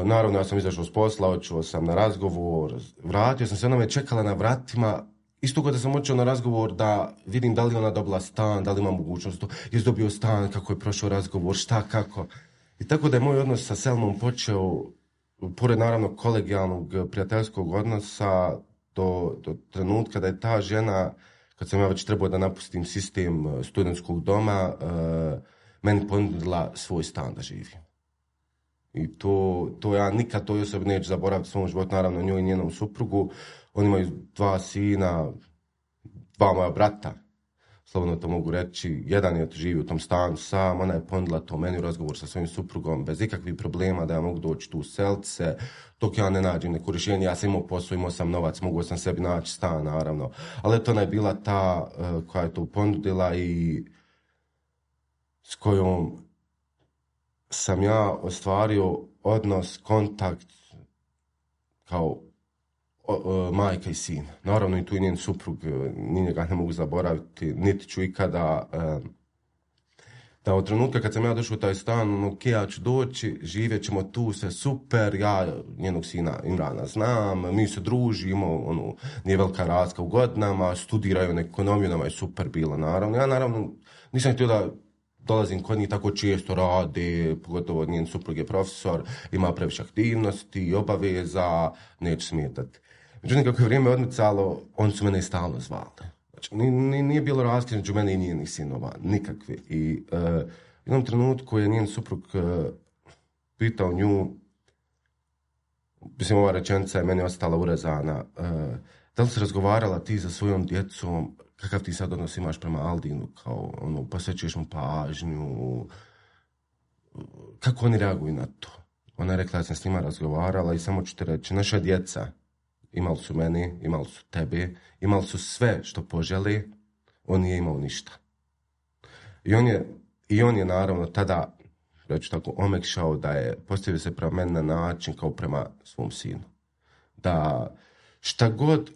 Naravno, ja sam izašao s posla, očuo sam na razgovor, vratio sam se, ona me čekala na vratima, isto kada sam očeo na razgovor da vidim da li ona dobila stan, da li ima mogućnost to, jesi dobio stan, kako je prošao razgovor, šta, kako. I tako da je moj odnos sa Selmom počeo, pored naravno kolegijalnog prijateljskog odnosa, do trenutka da je ta žena, kad sam ja već trebao da napustim sistem studentskog doma, meni ponudila svoj stan da živim. I to ja nikad toj osobi neću zaboraviti u svom životu, naravno njoj i njenom suprugu. Oni imaju 2 sina, 2 moja brata, slobodno to mogu reći. Jedan je živi u tom stanu sam, ona je ponudila to meni u razgovor sa svojim suprugom, bez ikakvih problema da ja mogu doći tu seliti se, dok ja ne nađem neko rješenje. Ja sam imao posao, imao sam novac, mogao sam sebi naći stan, naravno. Ali to ona je bila ta koja je to ponudila i s kojom sam ja ostvario odnos, kontakt kao majka i sin. Naravno i tu i njen suprug, ni njega ne mogu zaboraviti, niti ću ikada. Da od trenutka kad sam ja došao u taj stan, ok, ja ću doći, živjet ćemo tu, sve super, ja njenog sina Imrana znam, mi se družimo, nije velika razlika u godinama, studiraju ekonomiju, nama je super bilo, naravno. Ja naravno nisam htio da dolazim kod njih tako često, rade, pogotovo njen suprug je profesor, ima previše aktivnosti i obaveza, neću smetati. Međutim, kako je vrijeme odmicalo, oni su mene i stalno zvali. Znači, nije bilo razlike među mene i njenih sinova, nikakve. I u jednom trenutku je njen suprug pitao nju, mislim, ova rečenica je meni ostala urezana, da li si razgovarala ti sa svojom djecom, kakav ti sad odnos imaš prema Aldinu, kao posvećuješ mu pažnju, kako oni reaguju na to? Ona je rekla da sam s njima razgovarala i samo ću te reći, naša djeca imali su mene, imali su tebe, imali su sve što poželi, on nije imao ništa. I on je naravno tada, reći tako, omekšao da je postavio se prema meni na način kao prema svom sinu. Da šta god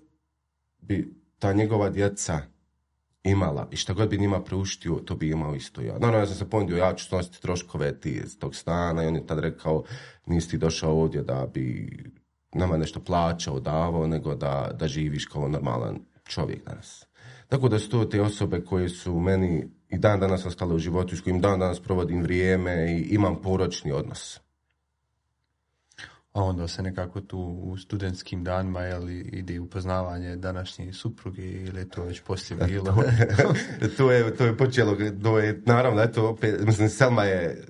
bi ta njegova djeca imala i šta god bi njima preuštio, to bi imao isto ja. Naravno, ja sam se ponudio, ja ću snositi troškove iz tog stana i on je tad rekao, nisi ti došao ovdje da bi nama nešto plaćao, davao, nego da živiš kao normalan čovjek danas. Tako da su to te osobe koje su meni i dan danas ostale u životu, s kojim dan danas provodim vrijeme i imam poročni odnos. A onda se nekako tu u studentskim danima ide upoznavanje današnje supruge ili je to već poslije bilo? To je počelo, naravno, eto, opet, mislim, Selma je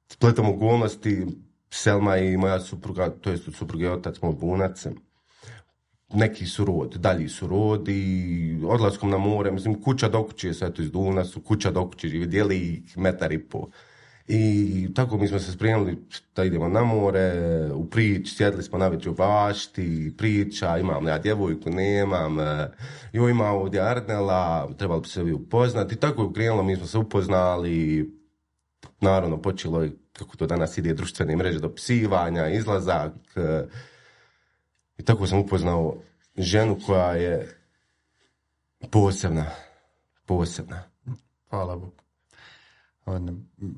spletom okolnosti, Selma i moja supruga, to jest od supruge otac moj Bunac, neki su rod, dalji su rod i odlaskom na more, mislim, kuća do kuće, sve to iz Duvna su kuća do kuće, živi, dijeli ih 1,5 m. I tako mi smo se spremili da idemo na more, u prič, sjedli smo na večer u bašti, priča, imam ja djevojku, nemam, joj ima ovdje Arnela, trebali bi se vi upoznati. I tako je krenulo, mi smo se upoznali, naravno počelo je, kako to danas ide, društvene mreže, dopisivanja, izlazak. I tako sam upoznao ženu koja je posebna. Hvala Bogu.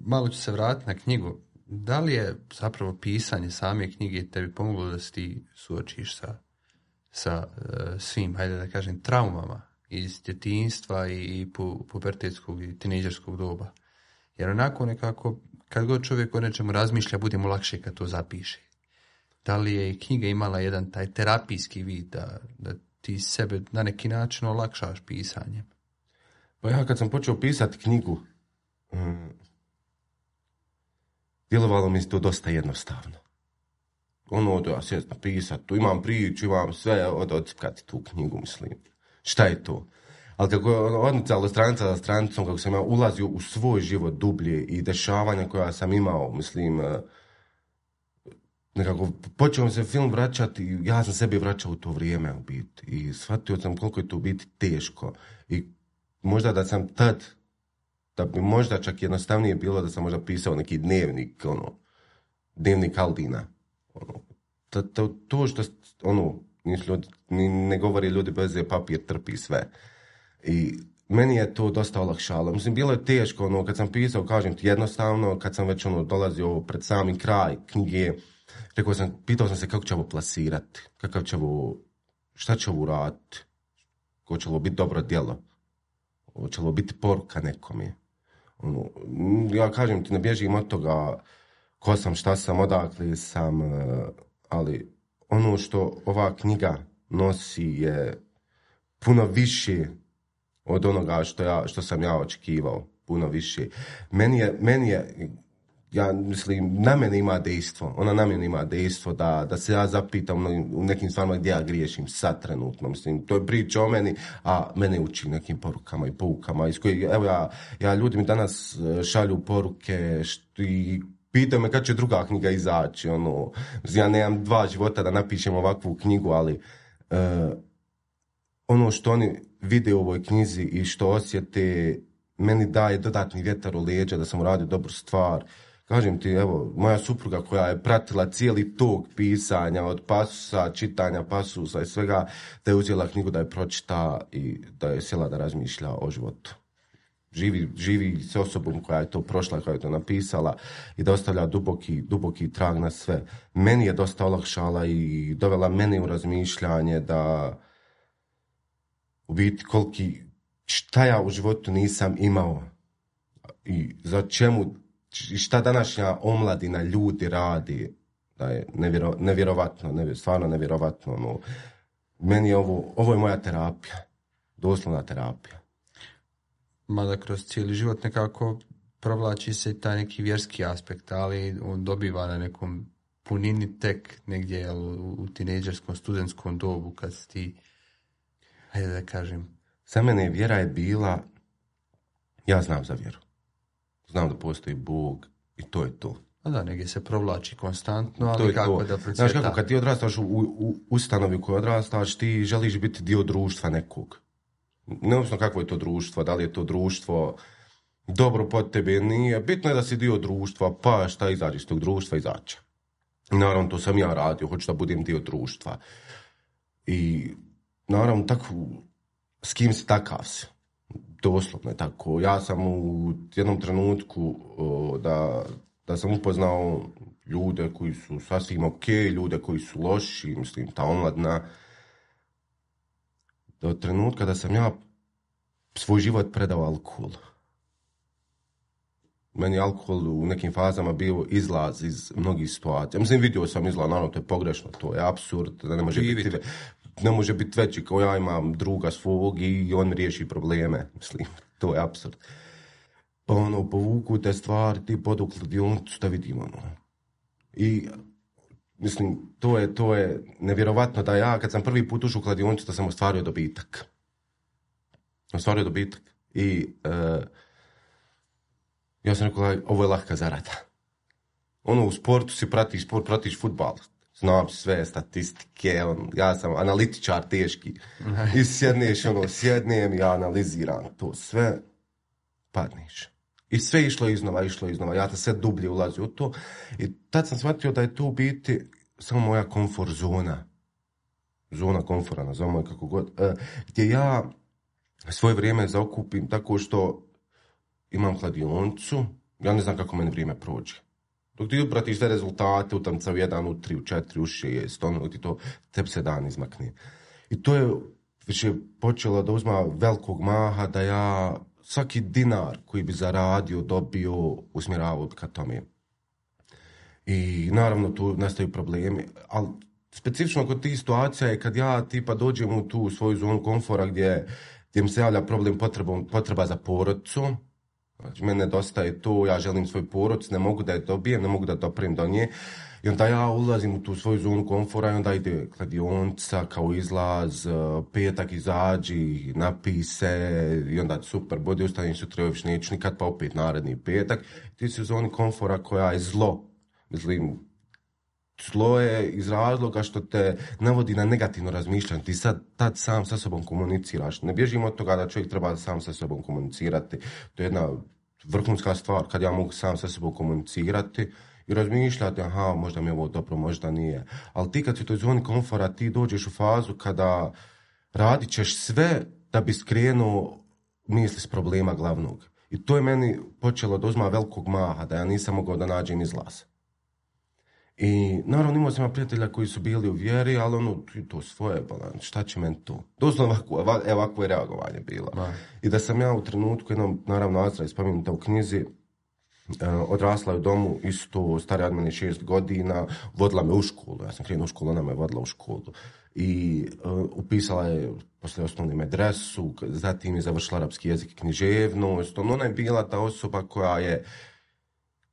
Malo ću se vratiti na knjigu. Da li je zapravo pisanje same knjige tebi pomoglo da se ti suočiš sa svim, hajde da kažem, traumama iz djetinjstva i pubertetskog i tinejdžerskog doba? Jer onako nekako, kad god čovjek o nečemu razmišlja, bude mu lakše kad to zapiše. Da li je knjiga imala jedan taj terapijski vid da ti sebe na neki način olakšaš pisanjem? Pa ja kad sam počeo pisati knjigu, djelovalo mi se to dosta jednostavno. Da ja sjest napisat, tu imam priču, imam sve, odcipkati tu knjigu, mislim. Šta je to? Ali kako je odnicalo stranica za stranicom, kako sam ja ulazio u svoj život dublje i dešavanja koja sam imao, mislim, nekako počeo mi se film vraćati, ja sam sebi vraćao u to vrijeme u biti i shvatio sam koliko je to u biti teško i možda da sam tad, da bi možda čak jednostavnije bilo da sam možda pisao neki dnevnik, dnevnik Aldina. To što, ne govori ljudi bez papir trpi sve. I meni je to dosta olakšalo. Mislim, bilo je teško, kad sam pisao, kažem ti, jednostavno, kad sam već dolazio pred sami kraj knjige, pitao sam se kako će ovo plasirati, šta će ovo raditi, ko će ovo biti dobro djelo, će ovo biti poruka nekom je. Ja kažem ti, ne bježim od toga ko sam, šta sam, odakle sam, ali ono što ova knjiga nosi je puno više od onoga što sam ja očekivao, puno više. Meni je ja mislim, na mene ima dejstvo, ona na mene ima dejstvo da se ja zapitam u nekim stvarima gdje ja griješim sad trenutno, mislim, to je priča o meni, a mene uči nekim porukama i poukama, iz kojih, evo ja ljudi mi danas šalju poruke i pitaju me kad će druga knjiga izaći, ja nemam 2 života da napišem ovakvu knjigu, ali ono što oni vide u ovoj knjizi i što osjete, meni daje dodatni vjetar u leđa da sam uradio dobru stvar. Kažem ti, evo, moja supruga koja je pratila cijeli tok pisanja, od pasusa, čitanja pasusa i svega, da je uzela knjigu da je pročita i da je sjela da razmišlja o životu. Živi s osobom koja je to prošla, koja je to napisala i da ostavlja duboki trag na sve. Meni je dosta olakšala i dovela mene u razmišljanje da u biti šta ja u životu nisam imao i za čemu, šta današnja omladina ljudi radi, da je nevjerovatno, stvarno nevjerovatno. Meni je ovo je moja terapija, doslovna terapija. Mada kroz cijeli život nekako provlači se taj neki vjerski aspekt, ali on dobiva na nekom punini tek negdje u tinejdžerskom, studentskom dobu kad si ti, hajde da kažem. Za mene vjera je bila, ja znam za vjeru. Znam da postoji Bog i to je to. A da, negdje se provlači konstantno, ali kako da procvjeta. Znaš kako, kad ti odrastaš u ustanovi u kojoj odrastaš, ti želiš biti dio društva nekog. Neovisno kakvo je to društvo, da li je to društvo dobro pod tebe, nije. Bitno je da si dio društva, pa šta izađe iz tog društva, izađe. I naravno, to sam ja radio, hoću da budem dio društva. I naravno, tako, s kim si takav si. Doslovno je tako. Ja sam u jednom trenutku da sam upoznao ljude koji su sasvim ok, ljude koji su loši, mislim, ta omladna. Do trenutka da sam ja svoj život predao alkoholu. Meni je alkohol u nekim fazama bio izlaz iz mnogih situacija. Mislim, vidio sam izlaz, naravno, to je pogrešno, to je apsurd, da ne može biti veći kao ja imam druga svog i on riješi probleme. Mislim, to je apsurd. Pa povuku te stvari, ti podu u kladionicu da vidimo. I, mislim, to je nevjerovatno da ja, kad sam prvi put ušao u kladionicu, da sam ostvario dobitak. I ja sam rekao, ovo je lahka zarada. U sportu si pratiš sport, pratiš fudbal. Znam sve statistike, ja sam analitičar teški. I sjednem i ja analiziram to sve, padneš. I sve išlo iznova. Ja sam sve dublje ulazio u to. I tad sam shvatio da je to u biti samo moja komfort zona. Zona komfora, nazovimo je kako god. Gdje ja svoje vrijeme zaokupim tako što imam kladionicu, ja ne znam kako meni vrijeme prođe. Dok ti upratiš sve rezultate, utamca u 1, u 3, u 4, u 6, ti to tebi se dan izmakne. I to je već je počelo da uzma velikog maha, da ja svaki dinar koji bi zaradio, dobio, usmjeravao ka tome. I naravno tu nastaju problemi, ali specifično kod tih situacija je kad ja tipa dođem u tu svoju zonu komfora gdje mi se javlja problem potreba za porodicu. Znači, mene nedostaje to, ja želim svoj porodicu, ne mogu da je dobijem, ne mogu da doprem do nje. I onda ja ulazim u tu svoju zonu komfora i onda ide kladionica kao izlaz, petak izađi, napij se i onda super, bodi ustanim sutra još neću nikad, pa opet naredni petak. Ti si u zoni komfora koja je zlo. Mislim, zlo je iz razloga što te navodi na negativno razmišljanje. Ti tad sam sa sobom komuniciraš. Ne bježimo od toga da čovjek treba sam sa sobom komunicirati. To je jedna vrhunska stvar kad ja mogu sam sa sobom komunicirati i razmišljati, aha, možda mi je ovo dobro, možda nije. Ali ti kad si u toj zoni komfora, ti dođeš u fazu kada radit ćeš sve da bi skrenuo misli s problema glavnog. I to je meni počelo da uzma velikog maha, da ja nisam mogao da nađem izlaz. I naravno imao sam prijatelja koji su bili u vjeri, ali to svoje, šta će meni to? Doslovno ovako je reagovanje bilo. I da sam ja u trenutku, jednom, naravno, Azra je spomenuta u knjizi, odrasla je u domu, isto starija od mene 6 godina, vodila me u školu, ja sam krenuo u školu, ona me vodila u školu. I upisala je posle osnovne medresu, zatim je završila arapski jezik i književnost. Ona je bila ta osoba koja je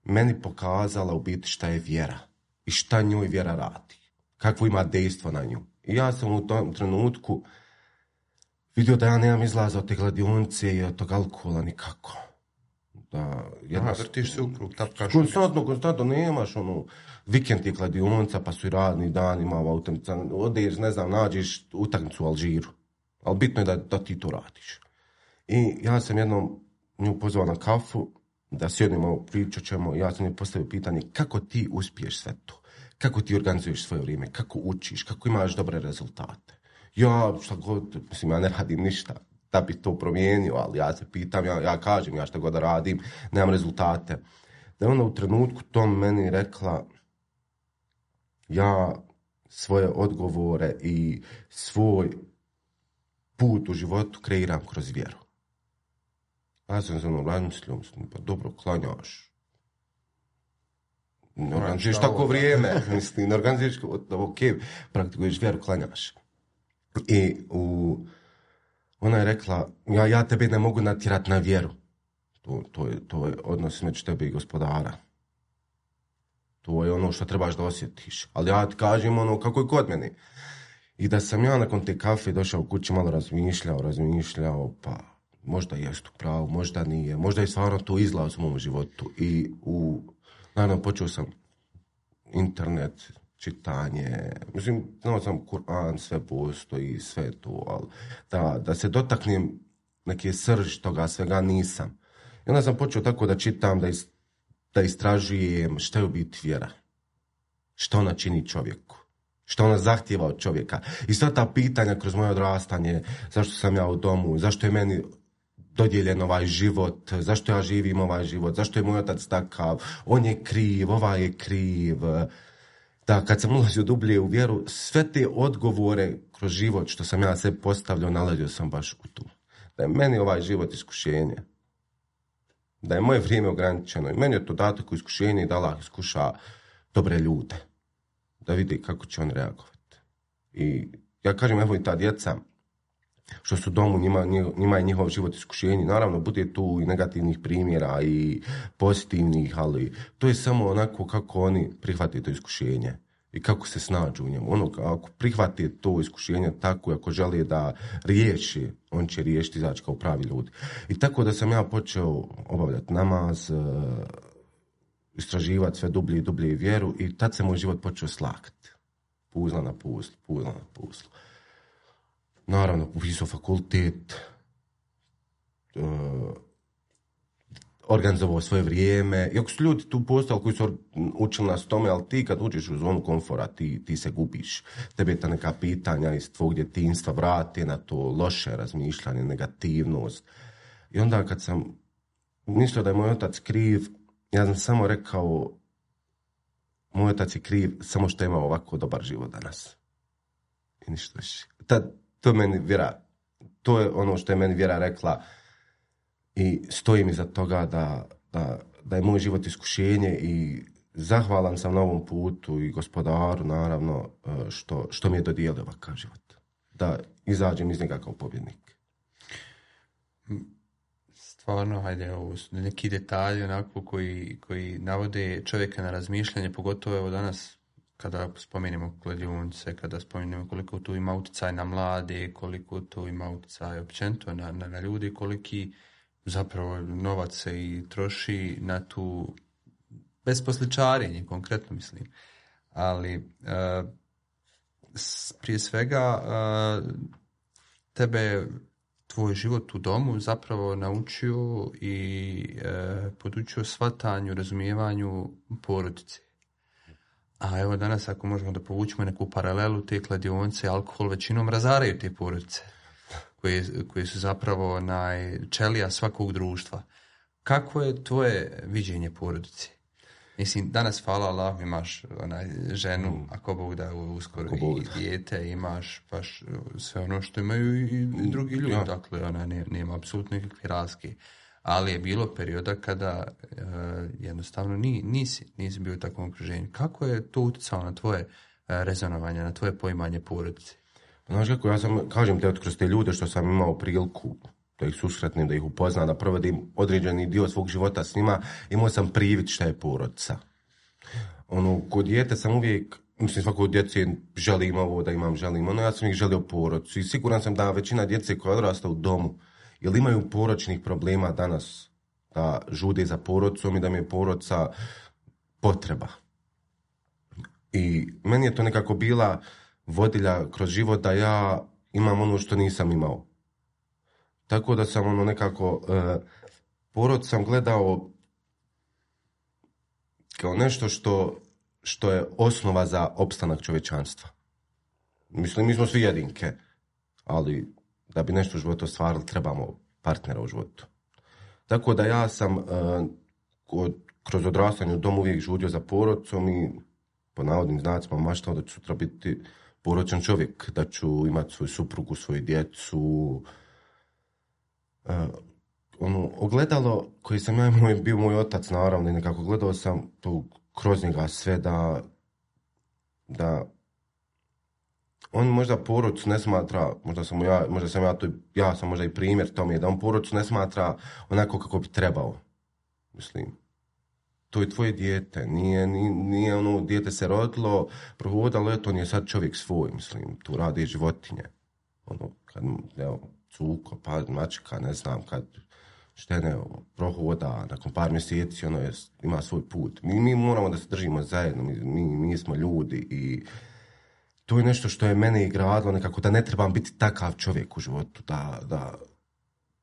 meni pokazala u biti šta je vjera i šta njoj vjera radi, kakvo ima dejstvo na nju. I ja sam u tom trenutku vidio da ja nemam izlaza od te kladionice i od tog alkohola nikako. Vrtiš se u krug, tapkaš. Konstantno nemaš vikend je kladionica, pa su i radni dan, ima utakmica, odeš, ne znam, nađeš utakmicu u Alžiru. Ali bitno je da ti to radiš. I ja sam jednom nju pozvao na kafu, da sjednemo, pričat ćemo, ja sam joj postavio pitanje kako ti uspiješ sve to, kako ti organizuješ svoje vrijeme, kako učiš, kako imaš dobre rezultate. Ja ne radim ništa da bi to promijenio, ali ja se pitam, ja kažem, ja šta god da radim, nemam rezultate. Da je ona u trenutku tom meni rekla, ja svoje odgovore i svoj put u životu kreiram kroz vjeru. Ja sam se razmislio, pa dobro, klanjaš. Ne organizuješ tako vrijeme, ne organizuješ, ok, praktikuješ vjeru, klanjaš. I ona je rekla, ja tebe ne mogu natjerati na vjeru. To je odnos među tebe i Gospodara. To je ono što trebaš da osjetiš. Ali ja ti kažem kako je kod mene. I da sam ja nakon te kafe došao u kući, malo razmišljao, pa možda jest u pravu, možda nije, možda je stvarno to izlaz u mom životu. I naravno počeo sam internet, čitanje, mislim, znao sam Kur'an, sve postoji, sve to, ali da se dotaknem neke srž toga svega nisam. I onda sam počeo tako da čitam, da istražujem šta je u biti vjera, šta ona čini čovjeku, šta ona zahtijeva od čovjeka. I sva ta pitanja kroz moje odrastanje, zašto sam ja u domu, zašto je meni dodijeljen ovaj život, zašto ja živim ovaj život, zašto je moj otac takav, on je kriv, ovaj je kriv. Da, kad sam ulazio dublje u vjeru, sve te odgovore kroz život što sam ja sve postavljao, nalazio sam baš u tu. Da je meni ovaj život iskušenje. Da je moje vrijeme ograničeno. I meni je to dato kao iskušenje i da Allah iskuša dobre ljude. Da vidi kako će on reagovati. I ja kažem, evo i ta djeca, što su domu, njima je njihov život iskušenje. Naravno, bude tu i negativnih primjera i pozitivnih, ali to je samo onako kako oni prihvate to iskušenje i kako se snađu u njemu. Ako prihvate to iskušenje tako, ako žele da riješi, on će riješiti, izaći kao pravi ljudi. I tako da sam ja počeo obavljati namaz, istraživati sve dublje i dublje vjeru i tad se moj život počeo slagati. Puzla na puzlu. Naravno, upisao fakultet, organizovao svoje vrijeme. Iako su ljudi tu postali koji su učili nas tome, ali ti kad uđeš u zonu komfora, ti se gubiš. Tebe ta neka pitanja iz tvog djetinjstva vrate na to loše razmišljanje, negativnost. I onda kad sam mislio da je moj otac kriv, ja sam samo rekao, moj otac je kriv samo što ima ovako dobar život danas. I ništa više. To je ono što je meni vjera rekla i stojim iza toga da je moj život iskušenje i zahvalan sam na ovom putu i gospodaru, naravno, što mi je dodijelio ovakav život. Da izađem iz njega kao pobjednik. Stvarno, hajde, ovo su neki detalji onako koji navode čovjeka na razmišljanje, pogotovo evo danas kada spomenemo kladionice, kada spomenemo koliko tu ima utjecaj na mlade, koliko tu ima utjecaj općenito na ljudi, koliki zapravo novac se i troši na tu besposličarenje, konkretno mislim. Ali prije svega tebe tvoj život u domu zapravo naučio i podučio shvatanju, razumijevanju porodice. A evo danas ako možemo da povučemo neku paralelu, te kladionice, alkohol većinom razaraju te porodice koje su zapravo čelija svakog društva. Kako je tvoje viđenje porodice? Mislim, danas, hvala Allah, imaš ženu, ako Bog da uskoro i dijete, imaš baš sve ono što imaju i drugi ljudi. Ja. Dakle, nema apsolutno nikakve razlike. Ali je bilo perioda kada jednostavno nisi bio u takvom okruženju. Kako je to utjecalo na tvoje rezonovanje, na tvoje poimanje porodice? Znaš kako, ja sam, kažem te, kroz te ljude što sam imao priliku da ih susretnim, da ih upoznam, da provodim određeni dio svog života s njima, imao sam privid šta je porodica. Kod dijete sam uvijek, mislim, svako djece želim ovo da imam, ja sam ih želio porodicu i siguran sam da većina djece koja odrasta u domu ili imaju poročnih problema danas, da žude za porodicom i da mi je porodica potreba. I meni je to nekako bila vodilja kroz život da ja imam ono što nisam imao. Tako da sam nekako porod sam gledao kao nešto što je osnova za opstanak čovječanstva. Mislim, mi smo svi jedinke, ali da bi nešto u životu ostvarili, trebamo partnera u životu. Tako da ja sam kroz odrastanje u domu uvijek žudio za porodicom i po navodnim znacima maštao da ću sutra biti porodičan čovjek, da ću imati svoju suprugu, svoju djecu. Ogledalo koji sam ja imao je bio moj otac, naravno, i nekako gledao sam tu kroz njega sve da on možda porodicu ne smatra, ja sam možda i primjer tome, da on porodicu ne smatra onako kako bi trebao. Mislim, to je tvoje dijete, nije dijete se rodilo, prohodalo, eto, on je sad čovjek svoj, mislim, tu radi životinje. Kad, cuko, pa mačka, ne znam, kad štene prohoda, nakon par mjeseci, ima svoj put. Mi moramo da se držimo zajedno, mi smo ljudi i to je nešto što je mene igradilo nekako, da ne trebam biti takav čovjek u životu, da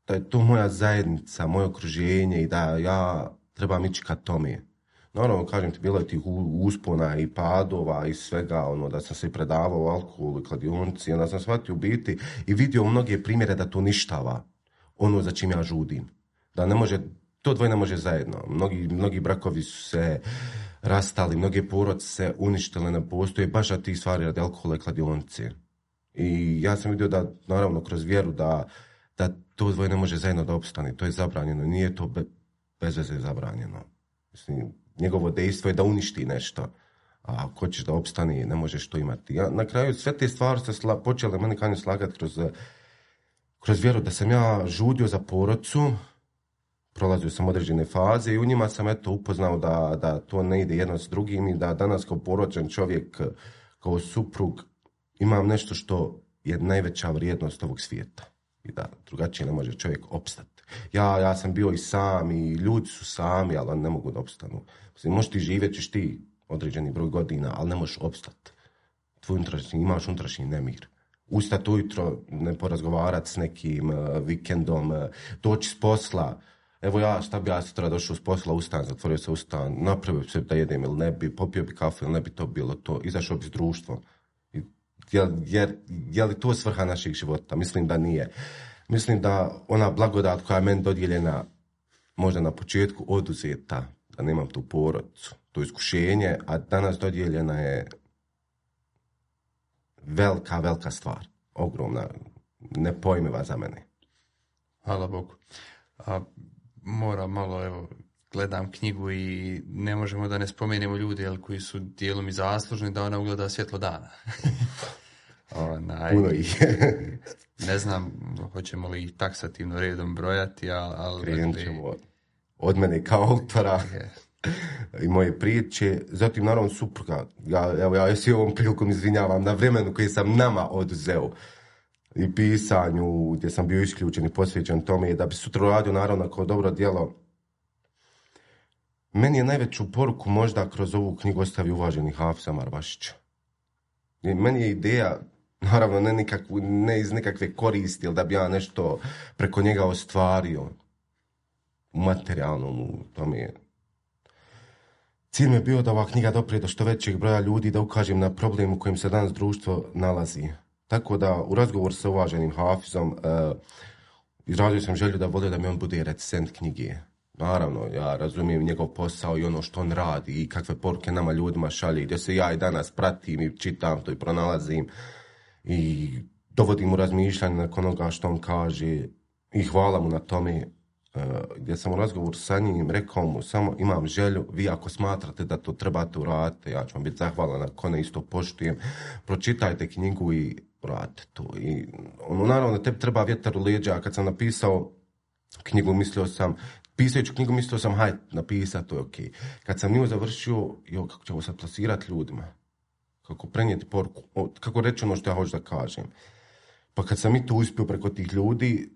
je to moja zajednica, moje okruženje i da ja trebam ići ka tome. Naravno, kažem ti, bilo je tih uspona i padova i svega, da sam se predavao alkoholu i kladionici, onda sam shvatio u biti i vidio mnoge primjere da to ništava ono za čim ja žudim. Da ne može, to dvoje ne može zajedno. Mnogi brakovi su se rastali, mnoge porodice se uništile, ne postoje baš na tih stvari radi alkohola i kladionice. I ja sam vidio da, naravno, kroz vjeru da to dvoje ne može zajedno da opstane, to je zabranjeno, nije to bez veze zabranjeno. Mislim, njegovo dejstvo je da uništi nešto, a ako hoćeš da opstane, ne možeš to imati. Ja, na kraju sve te stvari se počele meni kanju slagati kroz vjeru da sam ja žudio za porodcu, prolazio sam određene faze i u njima sam upoznao da to ne ide jedno s drugim i da danas kao poročan čovjek, kao suprug, imam nešto što je najveća vrijednost ovog svijeta i da drugačije ne može čovjek opstati. Ja sam bio i sam i ljudi su sami, ali oni ne mogu da opstanu. Mislim, možeš ti živjeti, ćeš ti određeni broj godina, ali ne možeš opstati. Imaš unutrašnji nemir. Ustati ujutro, ne porazgovarati s nekim vikendom, doći s posla. Evo šta bi ja sutra došao s posla, ustan, zatvorio se ustan, napravio se da jedem ili ne bi, popio bi kafu ili ne bi to bilo to, izašao bi s društvom. Je li to svrha naših života? Mislim da nije. Mislim da ona blagodat koja je meni dodijeljena možda na početku oduzeta, da nemam tu porodcu, to iskušenje, a danas dodijeljena je velika stvar. Ogromna, nepojmiva za mene. Hvala Bogu. Moram malo, evo, gledam knjigu i ne možemo da ne spomenemo ljude koji su dijelom i zaslužni da ona ugleda svjetlo dana. Ne znam, hoćemo li ih taksativno redom brojati, ali krenut ćemo od mene kao autora i moje priče. Zatim, naravno, supruga. Ja se ovom prilikom izvinjavam na vremenu koji sam nama oduzeo i pisanju, gdje sam bio isključen i posvećen tome, da bi sutra radio, naravno, kao dobro djelo. Meni je najveću poruku možda kroz ovu knjigu ostavio uvaženi Hafiz Amar Vašić. Meni je ideja, naravno, ne iz nekakve koristi, ili da bi ja nešto preko njega ostvario u materijalnom, u tome. Cilj mi je bio da ova knjiga doprije do što većeg broja ljudi, da ukažem na problem u kojem se danas društvo nalazi. Tako da, u razgovoru sa uvaženim Hafizom, izrazio sam želju da volio da mi on bude recenzent knjige. Naravno, ja razumijem njegov posao i ono što on radi i kakve poruke nama ljudima šalje, gdje se ja i danas pratim i čitam to i pronalazim i dovodim u razmišljanje nakon onoga što on kaže i hvala mu na tome. Gdje sam u razgovoru sa njim rekao mu samo imam želju, vi ako smatrate da to trebate uraditi, ja ću vam biti zahvalan ako ne isto poštujem, pročitajte knjigu i uradite to. I naravno tebi treba vjetar u leđa, a kad sam napisao knjigu pisajući knjigu mislio sam hajde napisati, to je ok. Kad sam nju završio, kako ćemo sad plasirati ljudima, kako prenijeti poruku, kako reći ono što ja hoću da kažem. Pa kad sam i to uspio preko tih ljudi,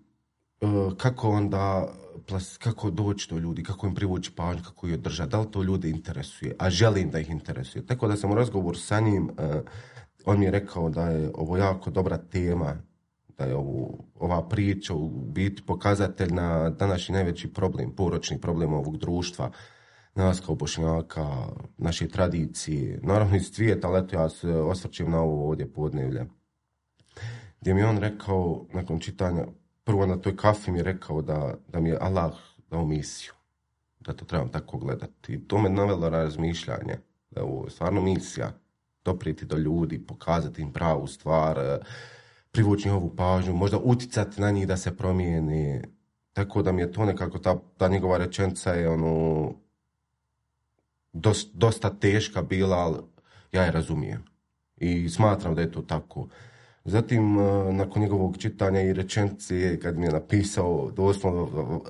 kako doći do ljudi, kako im privući pažnju, kako ih održati, da li to ljude interesuje, a želim da ih interesuje. Tako da sam u razgovoru sa njim, on mi je rekao da je ovo jako dobra tema, da je ova priča u biti pokazatelj na današnji najveći problem, poročni problem ovog društva, nas kao Bošnjaka, naše tradicije, naravno iz svijeta, ali eto ja se osvrćem na ovo ovdje podnevlje. Gdje mi on rekao, nakon čitanja, prvo na toj kafi mi je rekao da mi je Allah dao misiju, da to trebam tako gledati. I to me navelo na razmišljanje, da je ovo stvarno misija, doprijeti do ljudi, pokazati im pravu stvar, privući njihovu pažnju, možda uticati na njih da se promijeni. Tako da mi je to nekako, ta njegova rečenica je dosta teška bila, ali ja je razumijem. I smatram da je to tako. Zatim, nakon njegovog čitanja i rečenice, kad mi je napisao, doslovno,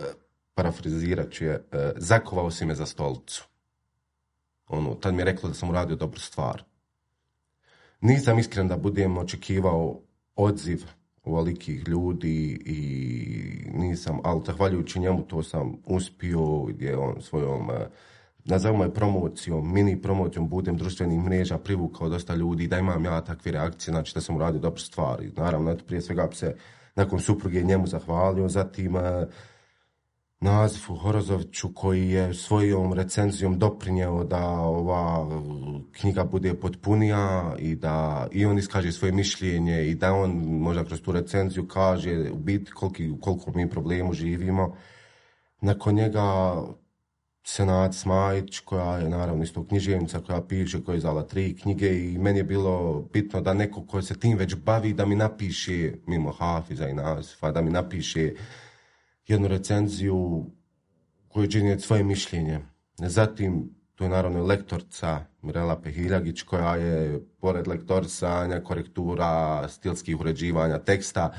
parafrazirat ću je, zakovao si me za stolicu. Tad mi je reklo da sam uradio dobru stvar. Nisam iskren da budem očekivao odziv ovolikih ljudi i nisam, ali zahvaljujući njemu to sam uspio, gdje on svojom, nazovimo je promocijom, mini promocijom budem društvenih mreža privukao dosta ljudi, da imam ja takve reakcije, znači da sam uradio dobru stvar. I naravno, prije svega bi se nakon supruge njemu zahvalio, zatim Nazifu Horozoviću koji je svojom recenzijom doprinjeo da ova knjiga bude potpunija i da i on iskaže svoje mišljenje i da on možda kroz tu recenziju kaže u biti koliko mi problemu živimo. Nakon njega Senad Smajić, koja je naravno isto književnica, koja piše, koja je izdala 3 knjige i meni je bilo bitno da neko ko se tim već bavi da mi napiše, mimo Hafiza i Nazifa, da mi napiše jednu recenziju koju će iznijeti svoje mišljenje. Zatim, tu je naravno lektorca Mirela Pehiljagić, koja je, pored lektorisanja, korektura, stilskih uređivanja teksta,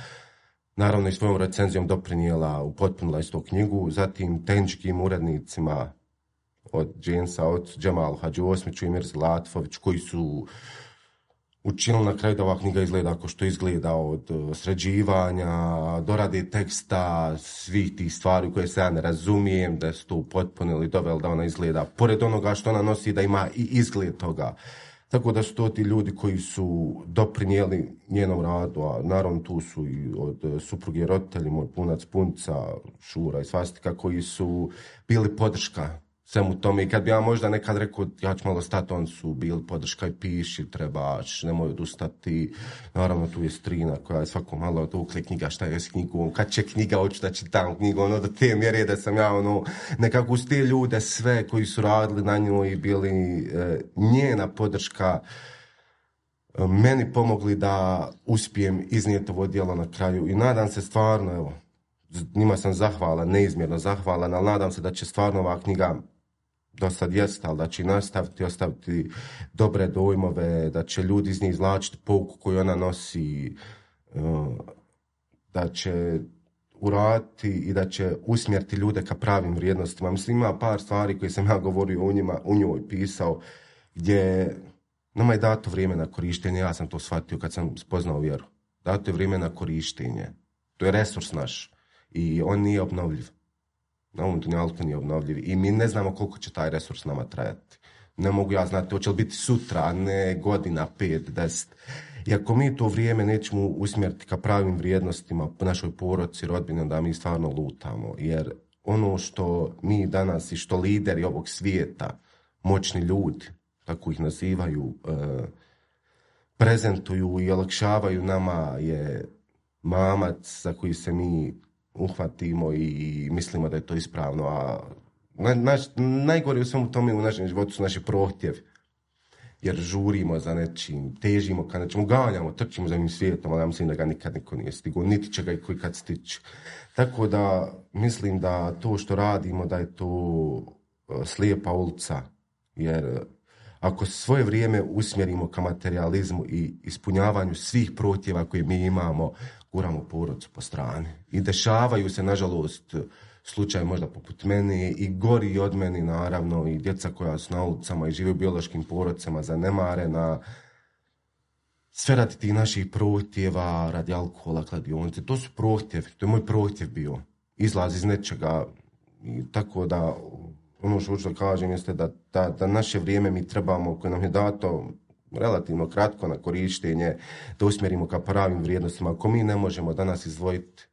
naravno i svojom recenzijom doprinijela, upotpunila istu knjigu. Zatim, tehničkim urednicima od Džensa, od Džemalu Hadžiosmiću i Mirzi Latfović, koji su učinili na kraju da ova knjiga izgleda ako što izgleda, od sređivanja, dorade teksta, svih tih stvari koje se ja ne razumijem, da su to upotpunili, doveli da ona izgleda, pored onoga što ona nosi, da ima i izgled toga. Tako da su to ti ljudi koji su doprinijeli njenom radu, a naravno tu su i od supruge i roditelji, moj punac, punica, Šura i Svastika, koji su bili podrška svemu tome. I kad bi ja možda nekad rekao, ja ću malo stati, on su bili podrška i piši, trebaš, nemoj odustati. Naravno, tu je Strina koja je svako malo dokle knjiga, šta je s knjigom, kad će knjiga, hoću da čitam knjigu, ono, do te mjere da sam ja, ono, nekako uz te ljude sve koji su radili na njoj i bili njena podrška, meni pomogli da uspijem iznijeti ovo djelo na kraju. I nadam se stvarno, evo, njima sam zahvalan, neizmjerno zahvalan, ali nadam se da će stvarno ova knjiga, do sad jest, ali da će nastaviti, ostaviti dobre dojmove, da će ljudi iz nje izvlačiti pouku koju ona nosi, da će uraditi i da će usmjeriti ljude ka pravim vrijednostima. Mislim, ima par stvari koje sam ja govorio u njoj pisao, gdje nama je dato vrijeme na korištenje, ja sam to shvatio kad sam spoznao vjeru. Dato je vrijeme na korištenje. To je resurs naš i on nije obnovljiv. Na ovom dunjalku nije obnovljiv i mi ne znamo koliko će taj resurs nama trajati. Ne mogu ja znati, hoće li biti sutra, a ne godina, 5, 10. I ako mi to vrijeme nećemo usmjeriti ka pravim vrijednostima po našoj porodici, rodbini, onda mi stvarno lutamo. Jer ono što mi danas i što lideri ovog svijeta, moćni ljudi, tako ih nazivaju, prezentuju i olakšavaju nama je mamac za koji se mi uhvatimo i mislimo da je to ispravno, a najgore u svemu tome u našem životu su naši prohtjevi, jer žurimo za nečim, težimo ka nečemu, ganjamo, trčimo za ovim svijetom, ali ja mislim da ga nikad niko nije stigao, niti će ga i koji kad stići. Tako da mislim da to što radimo, da je to slijepa ulica, jer ako svoje vrijeme usmjerimo ka materializmu i ispunjavanju svih prohtjeva koje mi imamo, guramo porodicu po strani. I dešavaju se, nažalost, slučaj možda poput mene i gori od meni, naravno, i djeca koja su na ulicama i žive u biološkim porodicama zanemarena. Sve radi tih naših prohtjeva, radi alkohola, kladionice. To su prohtjevi, to je moj prohtjev bio. Izlaz iz nečega. I tako da, ono što hoću da kažem jeste da naše vrijeme mi trebamo, koje nam je dato relativno kratko na korištenje, da usmjerimo ka pravim vrijednostima. Ako mi ne možemo danas izdvojiti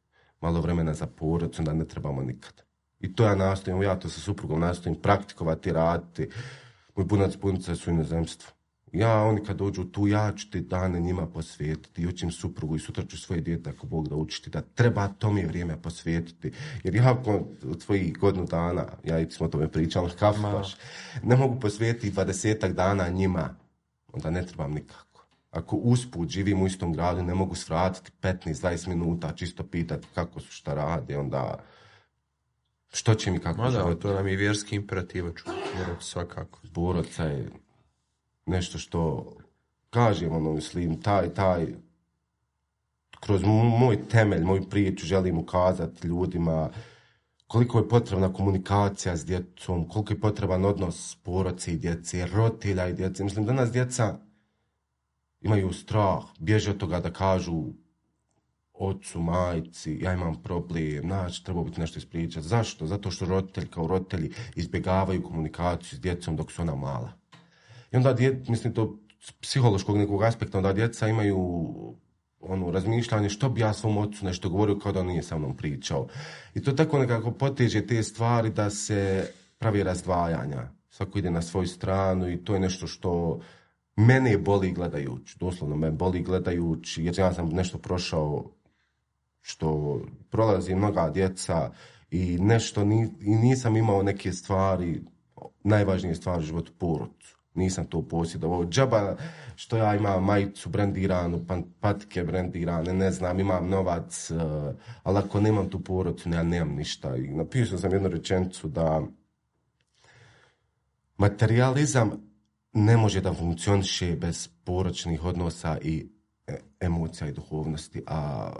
malo vremena za porodicu, onda ne trebamo nikad. I to ja nastojim, ja to sa suprugom nastojim praktikovati, raditi. Moj punac, punica su u inozemstvu. Oni kad dođu tu, ja ću te dane njima posvetiti i učim suprugu i sutra ću svoje dijete, ako Bog da učiti, da treba to mi vrijeme posvetiti. Jer ja od svojih godinu dana, ja i smo o tome pričali, baš, ne mogu posvetiti 20 dana njima, onda ne trebam nikako. Ako usput živim u istom gradu, ne mogu svratiti 15-20 minuta, čisto pitati kako su, šta rade, onda što će mi kako život. To nam je vjerski imperativ, svakako. Porodica je nešto što kažem, mislim, taj kroz moj temelj, moju priču želim ukazati ljudima koliko je potrebna komunikacija s djecom, koliko je potreban odnos porodice i djece, roditelja i djece. Mislim, danas djeca imaju strah, bježe od toga da kažu ocu, majci, ja imam problem, treba biti nešto ispričati. Zašto? Zato što roditelji kao roditelji izbjegavaju komunikaciju s djecom dok su ona mala. I onda, mislim, to psihološkog nekog aspekta, onda djeca imaju razmišljanje što bi ja svom ocu nešto govorio kao da on nije sa mnom pričao. I to tako nekako poteže te stvari da se pravi razdvajanja. Svako ide na svoju stranu i to je nešto što mene boli gledajući. Doslovno me boli gledajući jer ja sam nešto prošao što prolazi mnoga djeca i nešto i nisam imao neke stvari, najvažnije stvari u životu, porodicu. Nisam to posjedovao. Džaba što ja imam majicu brendiranu, patike brendirane, ne znam, imam novac, ali ako nemam tu porodicu, ja nemam ništa. I napisao sam jednu rečenicu da materijalizam ne može da funkcioniše bez poročnih odnosa i emocija i duhovnosti, a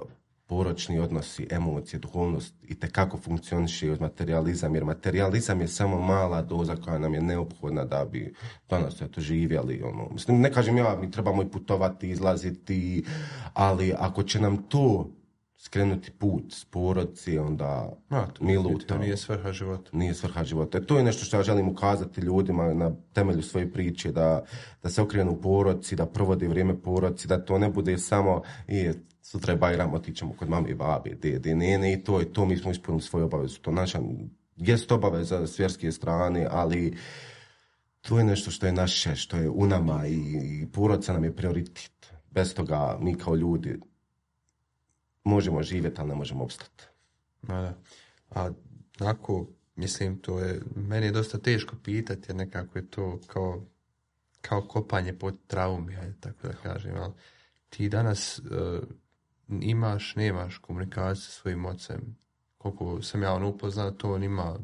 poročni odnosi, emocije, duhovnost i tekako funkcioniše uz materializam, jer materializam je samo mala doza koja nam je neophodna da bi danas živjeli. Mislim, ne kažem ja, mi trebamo i putovati, izlaziti, ali ako će nam to skrenuti put s porodici, onda mi lutamo. Nije svrha života. Nije svrha života. To je nešto što ja želim ukazati ljudima na temelju svoje priče, da se okrenu u porodici, da provode vrijeme porodici, da to ne bude samo sutra je Bajram, otićemo kod mame i babe, dede, nene i to mi smo ispunili svoju obavezu. To naša jest obaveza s vjerske strane, ali to je nešto što je naše, što je u nama i porodica nam je prioritet. Bez toga mi kao ljudi možemo živjeti, ali ne možemo opstati. A onako, mislim, meni je dosta teško pitati, jer nekako je to kao kopanje pod traumi, tako da kažem. Ali ti danas nemaš komunikaciju sa svojim ocem. Koliko sam ja upoznao, to on ima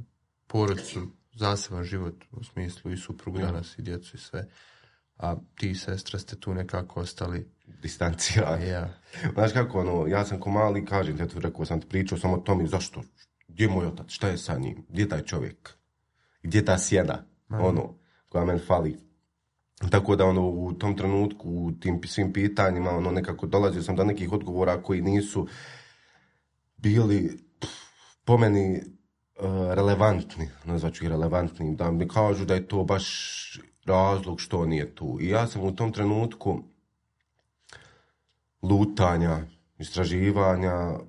porodicu, zaseban život, u smislu i suprugu danas i djecu i sve. A ti i sestra ste tu nekako ostali distancirani. Znaš kako, ja sam ko mali, kažem, rekao sam ti pričao samo o tome, zašto, gdje je moj otac, šta je sa njim, gdje je taj čovjek, gdje je ta sjena, koja meni fali. Tako da u tom trenutku, u tim svim pitanjima, nekako dolazio sam do nekih odgovora koji nisu bili po meni relevantni, nazvaću ih relevantnim, da mi kažu da je to baš razlog što nije tu. I ja sam u tom trenutku lutanja, istraživanja,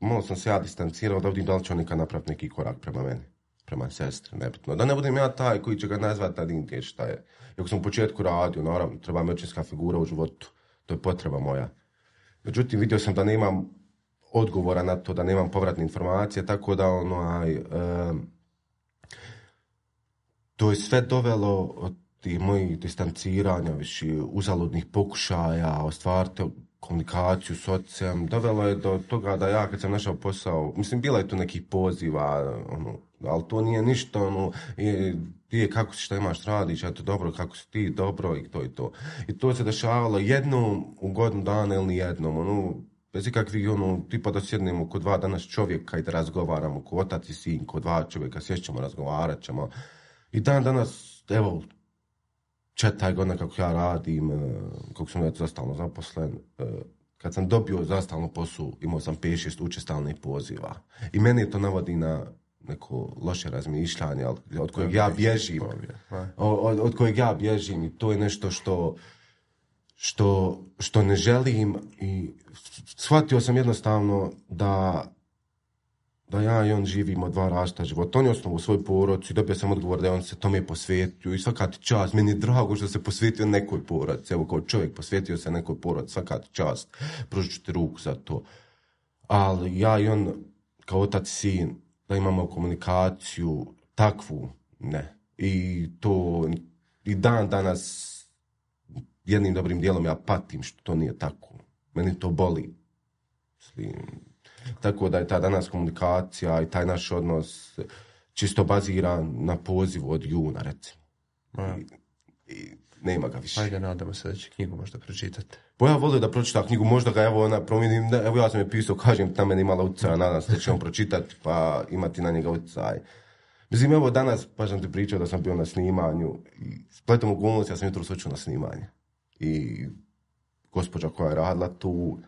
malo sam se ja distancirao da vidim da li će on nikad napraviti neki korak prema meni, prema sestri, nebitno. Da ne budem ja taj koji će ga nazvati da dinke šta je. Iako sam u početku radio, naravno, treba mi očinska figura u životu, to je potreba moja. Međutim, vidio sam da nemam odgovora na to, da nemam povratne informacije, tako da to je sve dovelo od tih mojih distanciranja, više uzaludnih pokušaja, ostvariti komunikaciju s ocem, dovelo je do toga da ja kad sam našao posao, mislim, bilo je tu nekih poziva, ali to nije ništa, kako si, šta imaš, radiš, eto, dobro, kako si ti, dobro, i to i to. I to se dešavalo jednom u godinu dana ili nijednom, bez ikakvih, tipa da sjednemo kod dva danas čovjeka i da razgovaramo, ko otac i sin, kod dva čovjeka, sjećamo, razgovarat ćemo. I danas, evo, 4 godina kako ja radim, kako sam već zastalno zaposlen, kad sam dobio zastalno posao, imao sam 5-6 učestalnih poziva. I meni to navodi na neko loše razmišljanje, od kojeg ja bježim. Od kojeg ja bježim i to je nešto što ne želim i shvatio sam jednostavno da ja i on živimo 2 različita života. On je osnovao svoj porodicu i dobio sam odgovor da on se tome posvetio i svaka ti čast. Meni je drago što se posvetio nekoj porodici. Evo, kao čovjek posvetio se nekoj porodici, svaka ti čast. Pružit ću ti ruku za to. Ali ja i on, kao otac i sin, da imamo komunikaciju takvu, ne. I to i dan danas jednim dobrim dijelom ja patim što to nije tako. Meni to boli. Tako da je ta danas komunikacija i taj naš odnos čisto baziran na pozivu od juna, recimo. I nema ga više. Ajde, nadamo se da će knjigu možda pročitati. Pa ja volim da pročita knjigu, možda ga promijenim, evo ja sam je pisao, kažem, na mene imala utjecaja, nadam se da će on pročitati pa imati na njega utjecaj. Mislim, evo danas, pa sam ti pričao da sam bio na snimanju i spletom okolnosti, ja sam jutro sočio na snimanje. I gospođa koja je radila tu,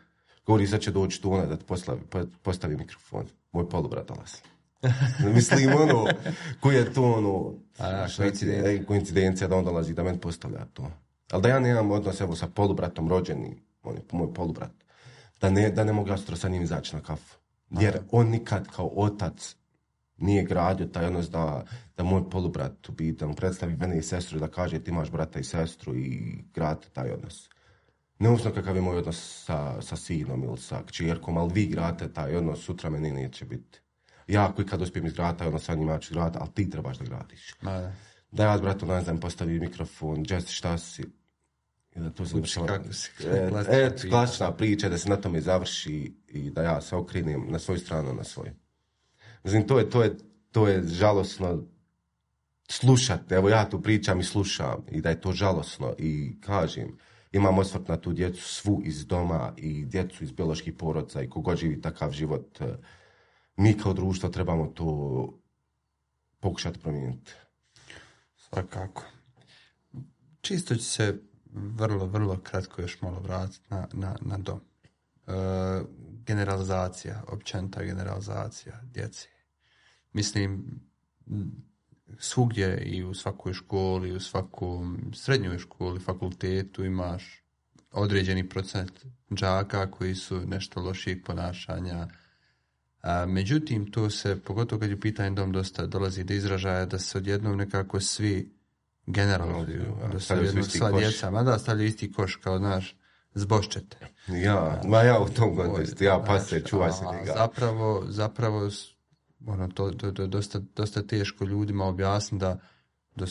govori, sad će doći tu ona da ti postavi mikrofon. Moj polubrat dolazi. Mislim, koji je to koincidencija da on dolazi da meni postavlja to. Ali da ja nemam odnos evo sa polubratom rođenim, on je moj polubrat, da ne mogu ja sutra sa njim izaći na kafu. Jer on nikad kao otac nije gradio taj odnos da moj polubrat u biti, da mu predstavi mene i sestru, da kaže ti imaš brata i sestru i gradi taj odnos. Neovisno kakav je moj odnos sa sinom ili sa kćerkom, ali vi gradite taj odnos, sutra meni neće biti. Ja koji kad uspijem izgraditi taj odnos sa njima ću graditi, ali ti trebaš da gradiš. da ja, bratu, ne znam, postavi mikrofon, Jess, šta si? I da to se klasična priča, da se na tome završi i da ja se okrenem na svoju stranu, na svoju. Mislim, to je žalosno slušati. Evo ja tu pričam i slušam i da je to žalosno i kažem, imam osvrt na tu djecu svu iz doma i djecu iz bioloških porodca i kogod živi takav život. Mi kao društvo trebamo to pokušati promijeniti. Svakako. Čisto ću se vrlo kratko još malo vratiti na dom. Generalizacija, općenita generalizacija djece. Mislim, svugdje i u svakoj školi, u svakom srednjoj školi, fakultetu imaš određeni procent đaka koji su nešto lošijeg ponašanja. Međutim, to se, pogotovo kad je pitanje dom, dosta dolazi do izražaja da se odjednom nekako svi generalizuju, da se odjednom sva djeca, mada stavljaju isti koš kao, znaš, zboščete. Ja u tom kontekstu, pase, čuvaj se njega. Zapravo to je dosta teško ljudima objasniti da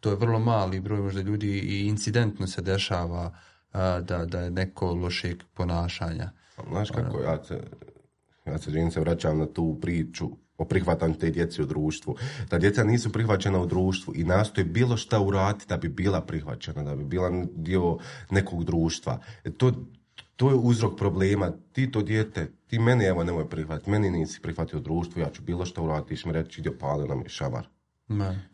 to je vrlo mali broj možda ljudi i incidentno se dešava da je neko lošeg ponašanja. Znaš kako, ja se vraćam na tu priču o prihvatanju te djece u društvu. Da djeca nisu prihvaćena u društvu i nastoje bilo šta uraditi da bi bila prihvaćena, da bi bila dio nekog društva. To je uzrok problema. Ti to dijete, ti meni evo nemoj prihvatiti, meni nisi prihvatio društvu, ja ću bilo šta uraditi, ti ćeš mi reći, idio palio nam je šamar.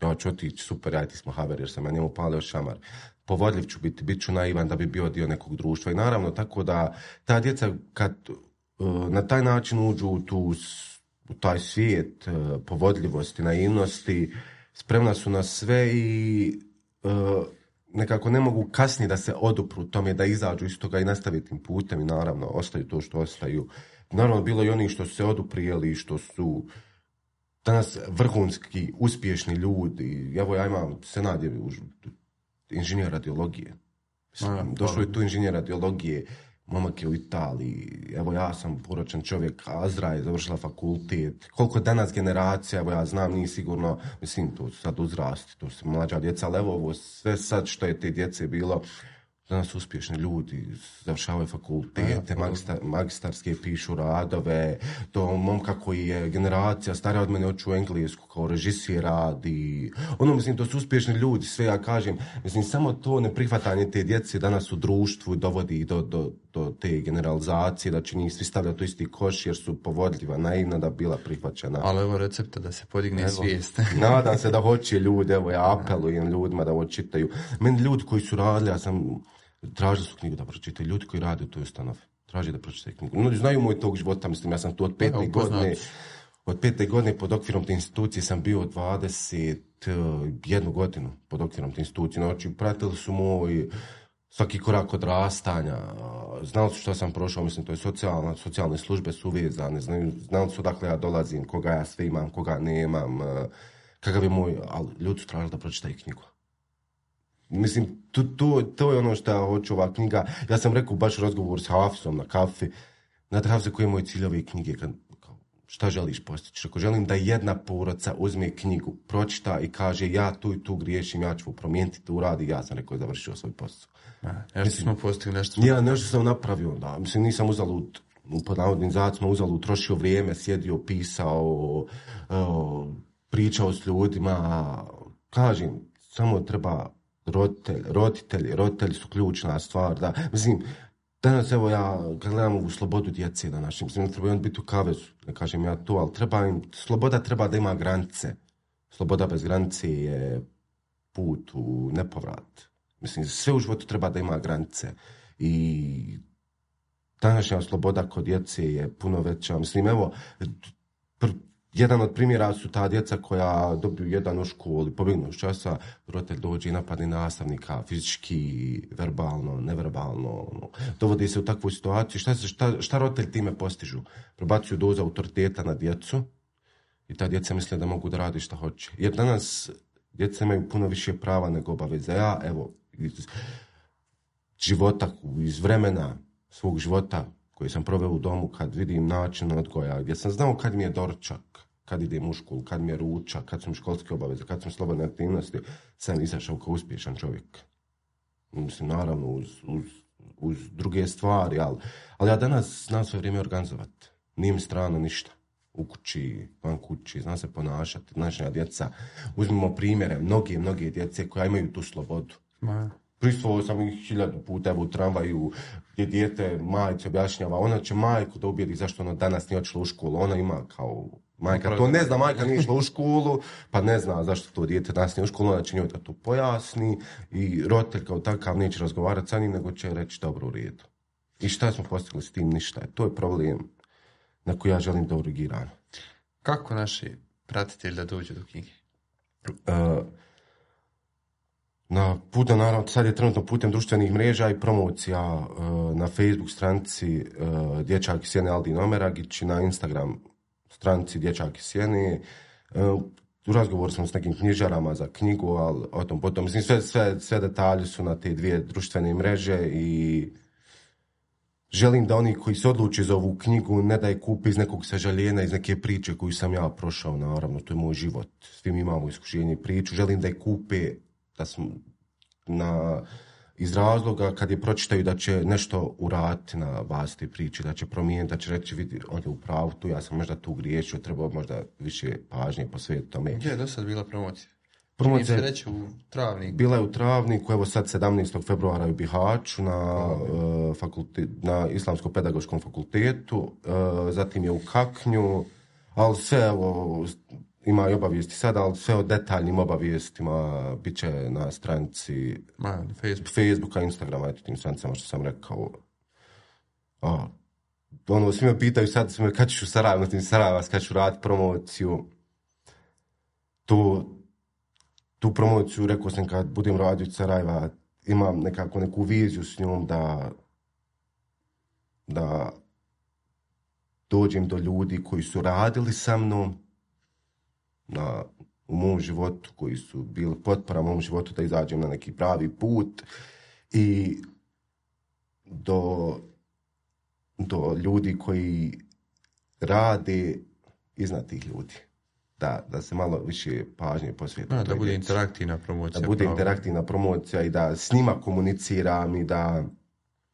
Ja ću otići, super, ja ti smo haver, jer sam ja njemu palio šamar. Povodljiv ću biti, bit ću naivan da bi bio dio nekog društva. I naravno, tako da ta djeca kad na taj način uđu u taj svijet povodljivosti, naivnosti, spremna su na sve i nekako ne mogu kasnije da se odupru tome, da izađu iz toga i nastaviti tim putem i naravno ostaju to što ostaju. Naravno, bilo i onih što su se oduprijeli, što su danas vrhunski, uspješni ljudi. Evo ja imam senat inženjer radiologije. Došao je tu inženjer radiologije, momak je u Italiji, evo ja sam poročan čovjek, Azra je završila fakultet, koliko danas generacija, evo ja znam, nije sigurno, mislim, to sad uzrasti, to su mlađa djeca, ali evo ovo sve sad što je te djece bilo, danas uspješni ljudi, završavaju fakultete, magistarske pišu radove, to momka koji je generacija starija od mene hoću u Englesku, kao režisir radi, mislim, to su uspješni ljudi, sve ja kažem, mislim, samo to neprihvatanje te djece danas u društvu dovodi do te generalizacije, da će njih svi stavljati u isti koš jer su povodljiva, naivna da bila prihvaćena. Ali evo recepta da se podigne svijest. Nadam se da hoće ljudi, evo ja apelujem ljudima da ovo čitaju. Meni ljudi koji su radili, ja sam tražili su knjigu da pročitaju. Ljudi koji rade u toj ustanovi traži da pročitaju knjigu. No, znaju moj tog života, mislim, ja sam tu od 5. godine. Od 5. godine pod okvirom te institucije sam bio 21 godinu pod okvirom te institucije. Znači, pratili su moj svaki korak odrastanja. Znali su što sam prošao, mislim, to je socijalne službe su uvezane. Znali su odakle ja dolazim, koga ja sve imam, koga nemam, kakav je moj, ali ljudi su tražili da pročitaju knjigu. Mislim, to je ono što ja hoću ova knjiga. Ja sam rekao baš razgovor s Hafsom na kafi. Znate, Hafse, koji je moj cilj ove knjige? Šta želiš postići? Ako želim da jedna porodica uzme knjigu, pročita i kaže ja tu i tu griješim, ja ću promijeniti, to uradi, ja sam rekao završio svoj posao. Nešto smo postigli, nešto. Ja nešto sam napravio, da. Mislim, nisam uzalud, pod navodnim znacima, uzalud trošio vrijeme, sjedio, pisao, pričao s ljudima. Kažem, samo treba roditelji su ključna stvar, da. Mislim, danas, evo ja, kad gledam ovu slobodu djece današnjim, mislim, ne treba on biti u kavezu, ne kažem ja to, ali sloboda treba da ima granice. Sloboda bez granice je put u nepovrat. Mislim, sve u životu treba da ima granice. I današnja sloboda kod djece je puno veća. Mislim, evo, jedan od primjera su ta djeca koja dobiju jedan u školi, pobjegnu iz časa, roditelj dođe i napadne nastavnika fizički, verbalno, neverbalno. Dovodi se u takvu situaciju. Šta roditelj time postižu? Probacuju dozu autoriteta na djecu i ta djeca misle da mogu da radi šta hoće. Jer danas djeca imaju puno više prava nego obaveze. Ja, evo, iz života, iz vremena svog života koji sam proveo u domu, kad vidim način odgoja, gdje sam znao kad mi je doručak, kad idem u školu, kad mi je ručak, kad su mi školske obaveze, kad su mi slobodne aktivnosti, sam izašao kao uspješan čovjek. Mislim, naravno, uz druge stvari, ali ja danas znam svoje vrijeme organizovati. Nije mi strano ništa. U kući, van kući, znam se ponašati, današnja djeca. Uzmimo primjere, mnoge djece koja imaju tu slobodu. Pristvovao sam ih 1000 puta u tramvaju, gdje dijete majci objašnjava, ona će majku da ubijedi zašto ona danas nije otišla u školu. Ona ima kao majka, to ne zna, majka nije išla u školu, pa ne zna zašto to dijete danas nije u školu, ona će njoj da to pojasni i roditelj kao takav neće razgovarati sa njim, nego će reći dobro u redu. I šta smo postigli s tim? Ništa. To je problem na koji ja želim da urgiram. Kako naši pratitelji da dođu do knjige? Naravno, sad je trenutno putem društvenih mreža i promocija na Facebook stranici Dječak iz Sjene Aldin Omeragić i na Instagram stranici Dječak iz Sjene. U razgovoru sam s nekim knjižarama za knjigu, ali o tom potom. Mislim, sve detalje su na te 2 društvene mreže i želim da oni koji se odluče za ovu knjigu ne da je kupe iz nekog sažaljenja, iz neke priče koju sam ja prošao, naravno, to je moj život. Svi mi imamo iskušenje i priču. Želim da je kupe da smo iz razloga kad je pročitaju da će nešto uraditi na bazi te priče, da će promijeniti, da će reći vidi, on je u pravu tu, ja sam možda tu griješio, trebao možda više pažnje posvetiti tome. Gdje je do sad bila promocija? Promocija je reći u Travniku. Bila je u Travniku, evo sad 17. februara u Bihaću na Islamsko-pedagoškom fakultetu, zatim je u Kaknju, ali sve evo ima i obavijesti sada, ali sve o detaljnim obavijestima bit će na stranici Facebooka, Instagrama, eto tim stranicama što sam rekao. Svi me pitaju sad, kad ćeš u Sarajevo, na tim Sarajeva, kad ću raditi promociju. Tu promociju, rekao sam, kad budem radio iz Sarajeva, imam neku viziju s njom da dođem do ljudi koji su radili sa mnom, u mom životu, koji su bili potpora u mom životu da izađem na neki pravi put i do ljudi koji rade iznad tih ljudi. Da se malo više pažnje posveti. Da bude interaktivna promocija. Da bude interaktivna promocija i da s njima komuniciram i da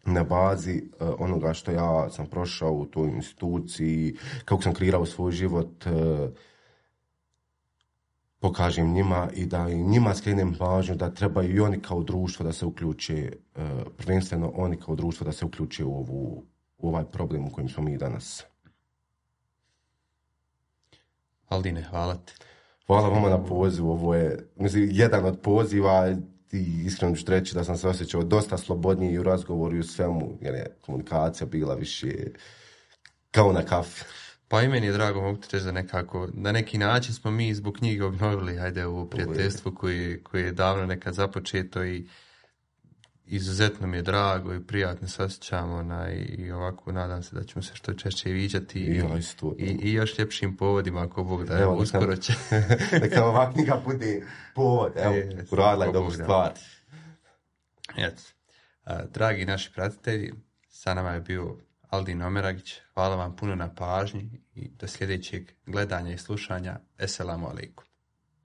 na bazi onoga što ja sam prošao u toj instituciji, kako sam kreirao svoj život, pokažem njima i da i njima skrenem pažnju da trebaju i oni kao društvo da se uključe, prvenstveno oni kao društvo da se uključe u ovaj problem u kojem smo mi danas. Aldine, hvala ti. Hvala vama na pozivu. Ovo je jedan od poziva i iskreno ću reći da sam se osjećao dosta slobodniji i u razgovoru i u svemu, jer je komunikacija bila više kao na kafi. Pa i meni je drago, mogu ti reći da na neki način smo mi zbog knjige obnovili ovo prijateljstvo koje je davno nekad započeto i izuzetno mi je drago i prijatno se osjećamo i ovako nadam se da ćemo se što češće viđati i još ljepšim povodima ako Bog da, evo uskoro će. Neka ova knjiga bude povod, evo, uradila je dobru stvar. Dragi naši pratitelji, sa nama je bio Aldin Omeragić, hvala vam puno na pažnji i do sljedećeg gledanja i slušanja. Esselamu alaikum.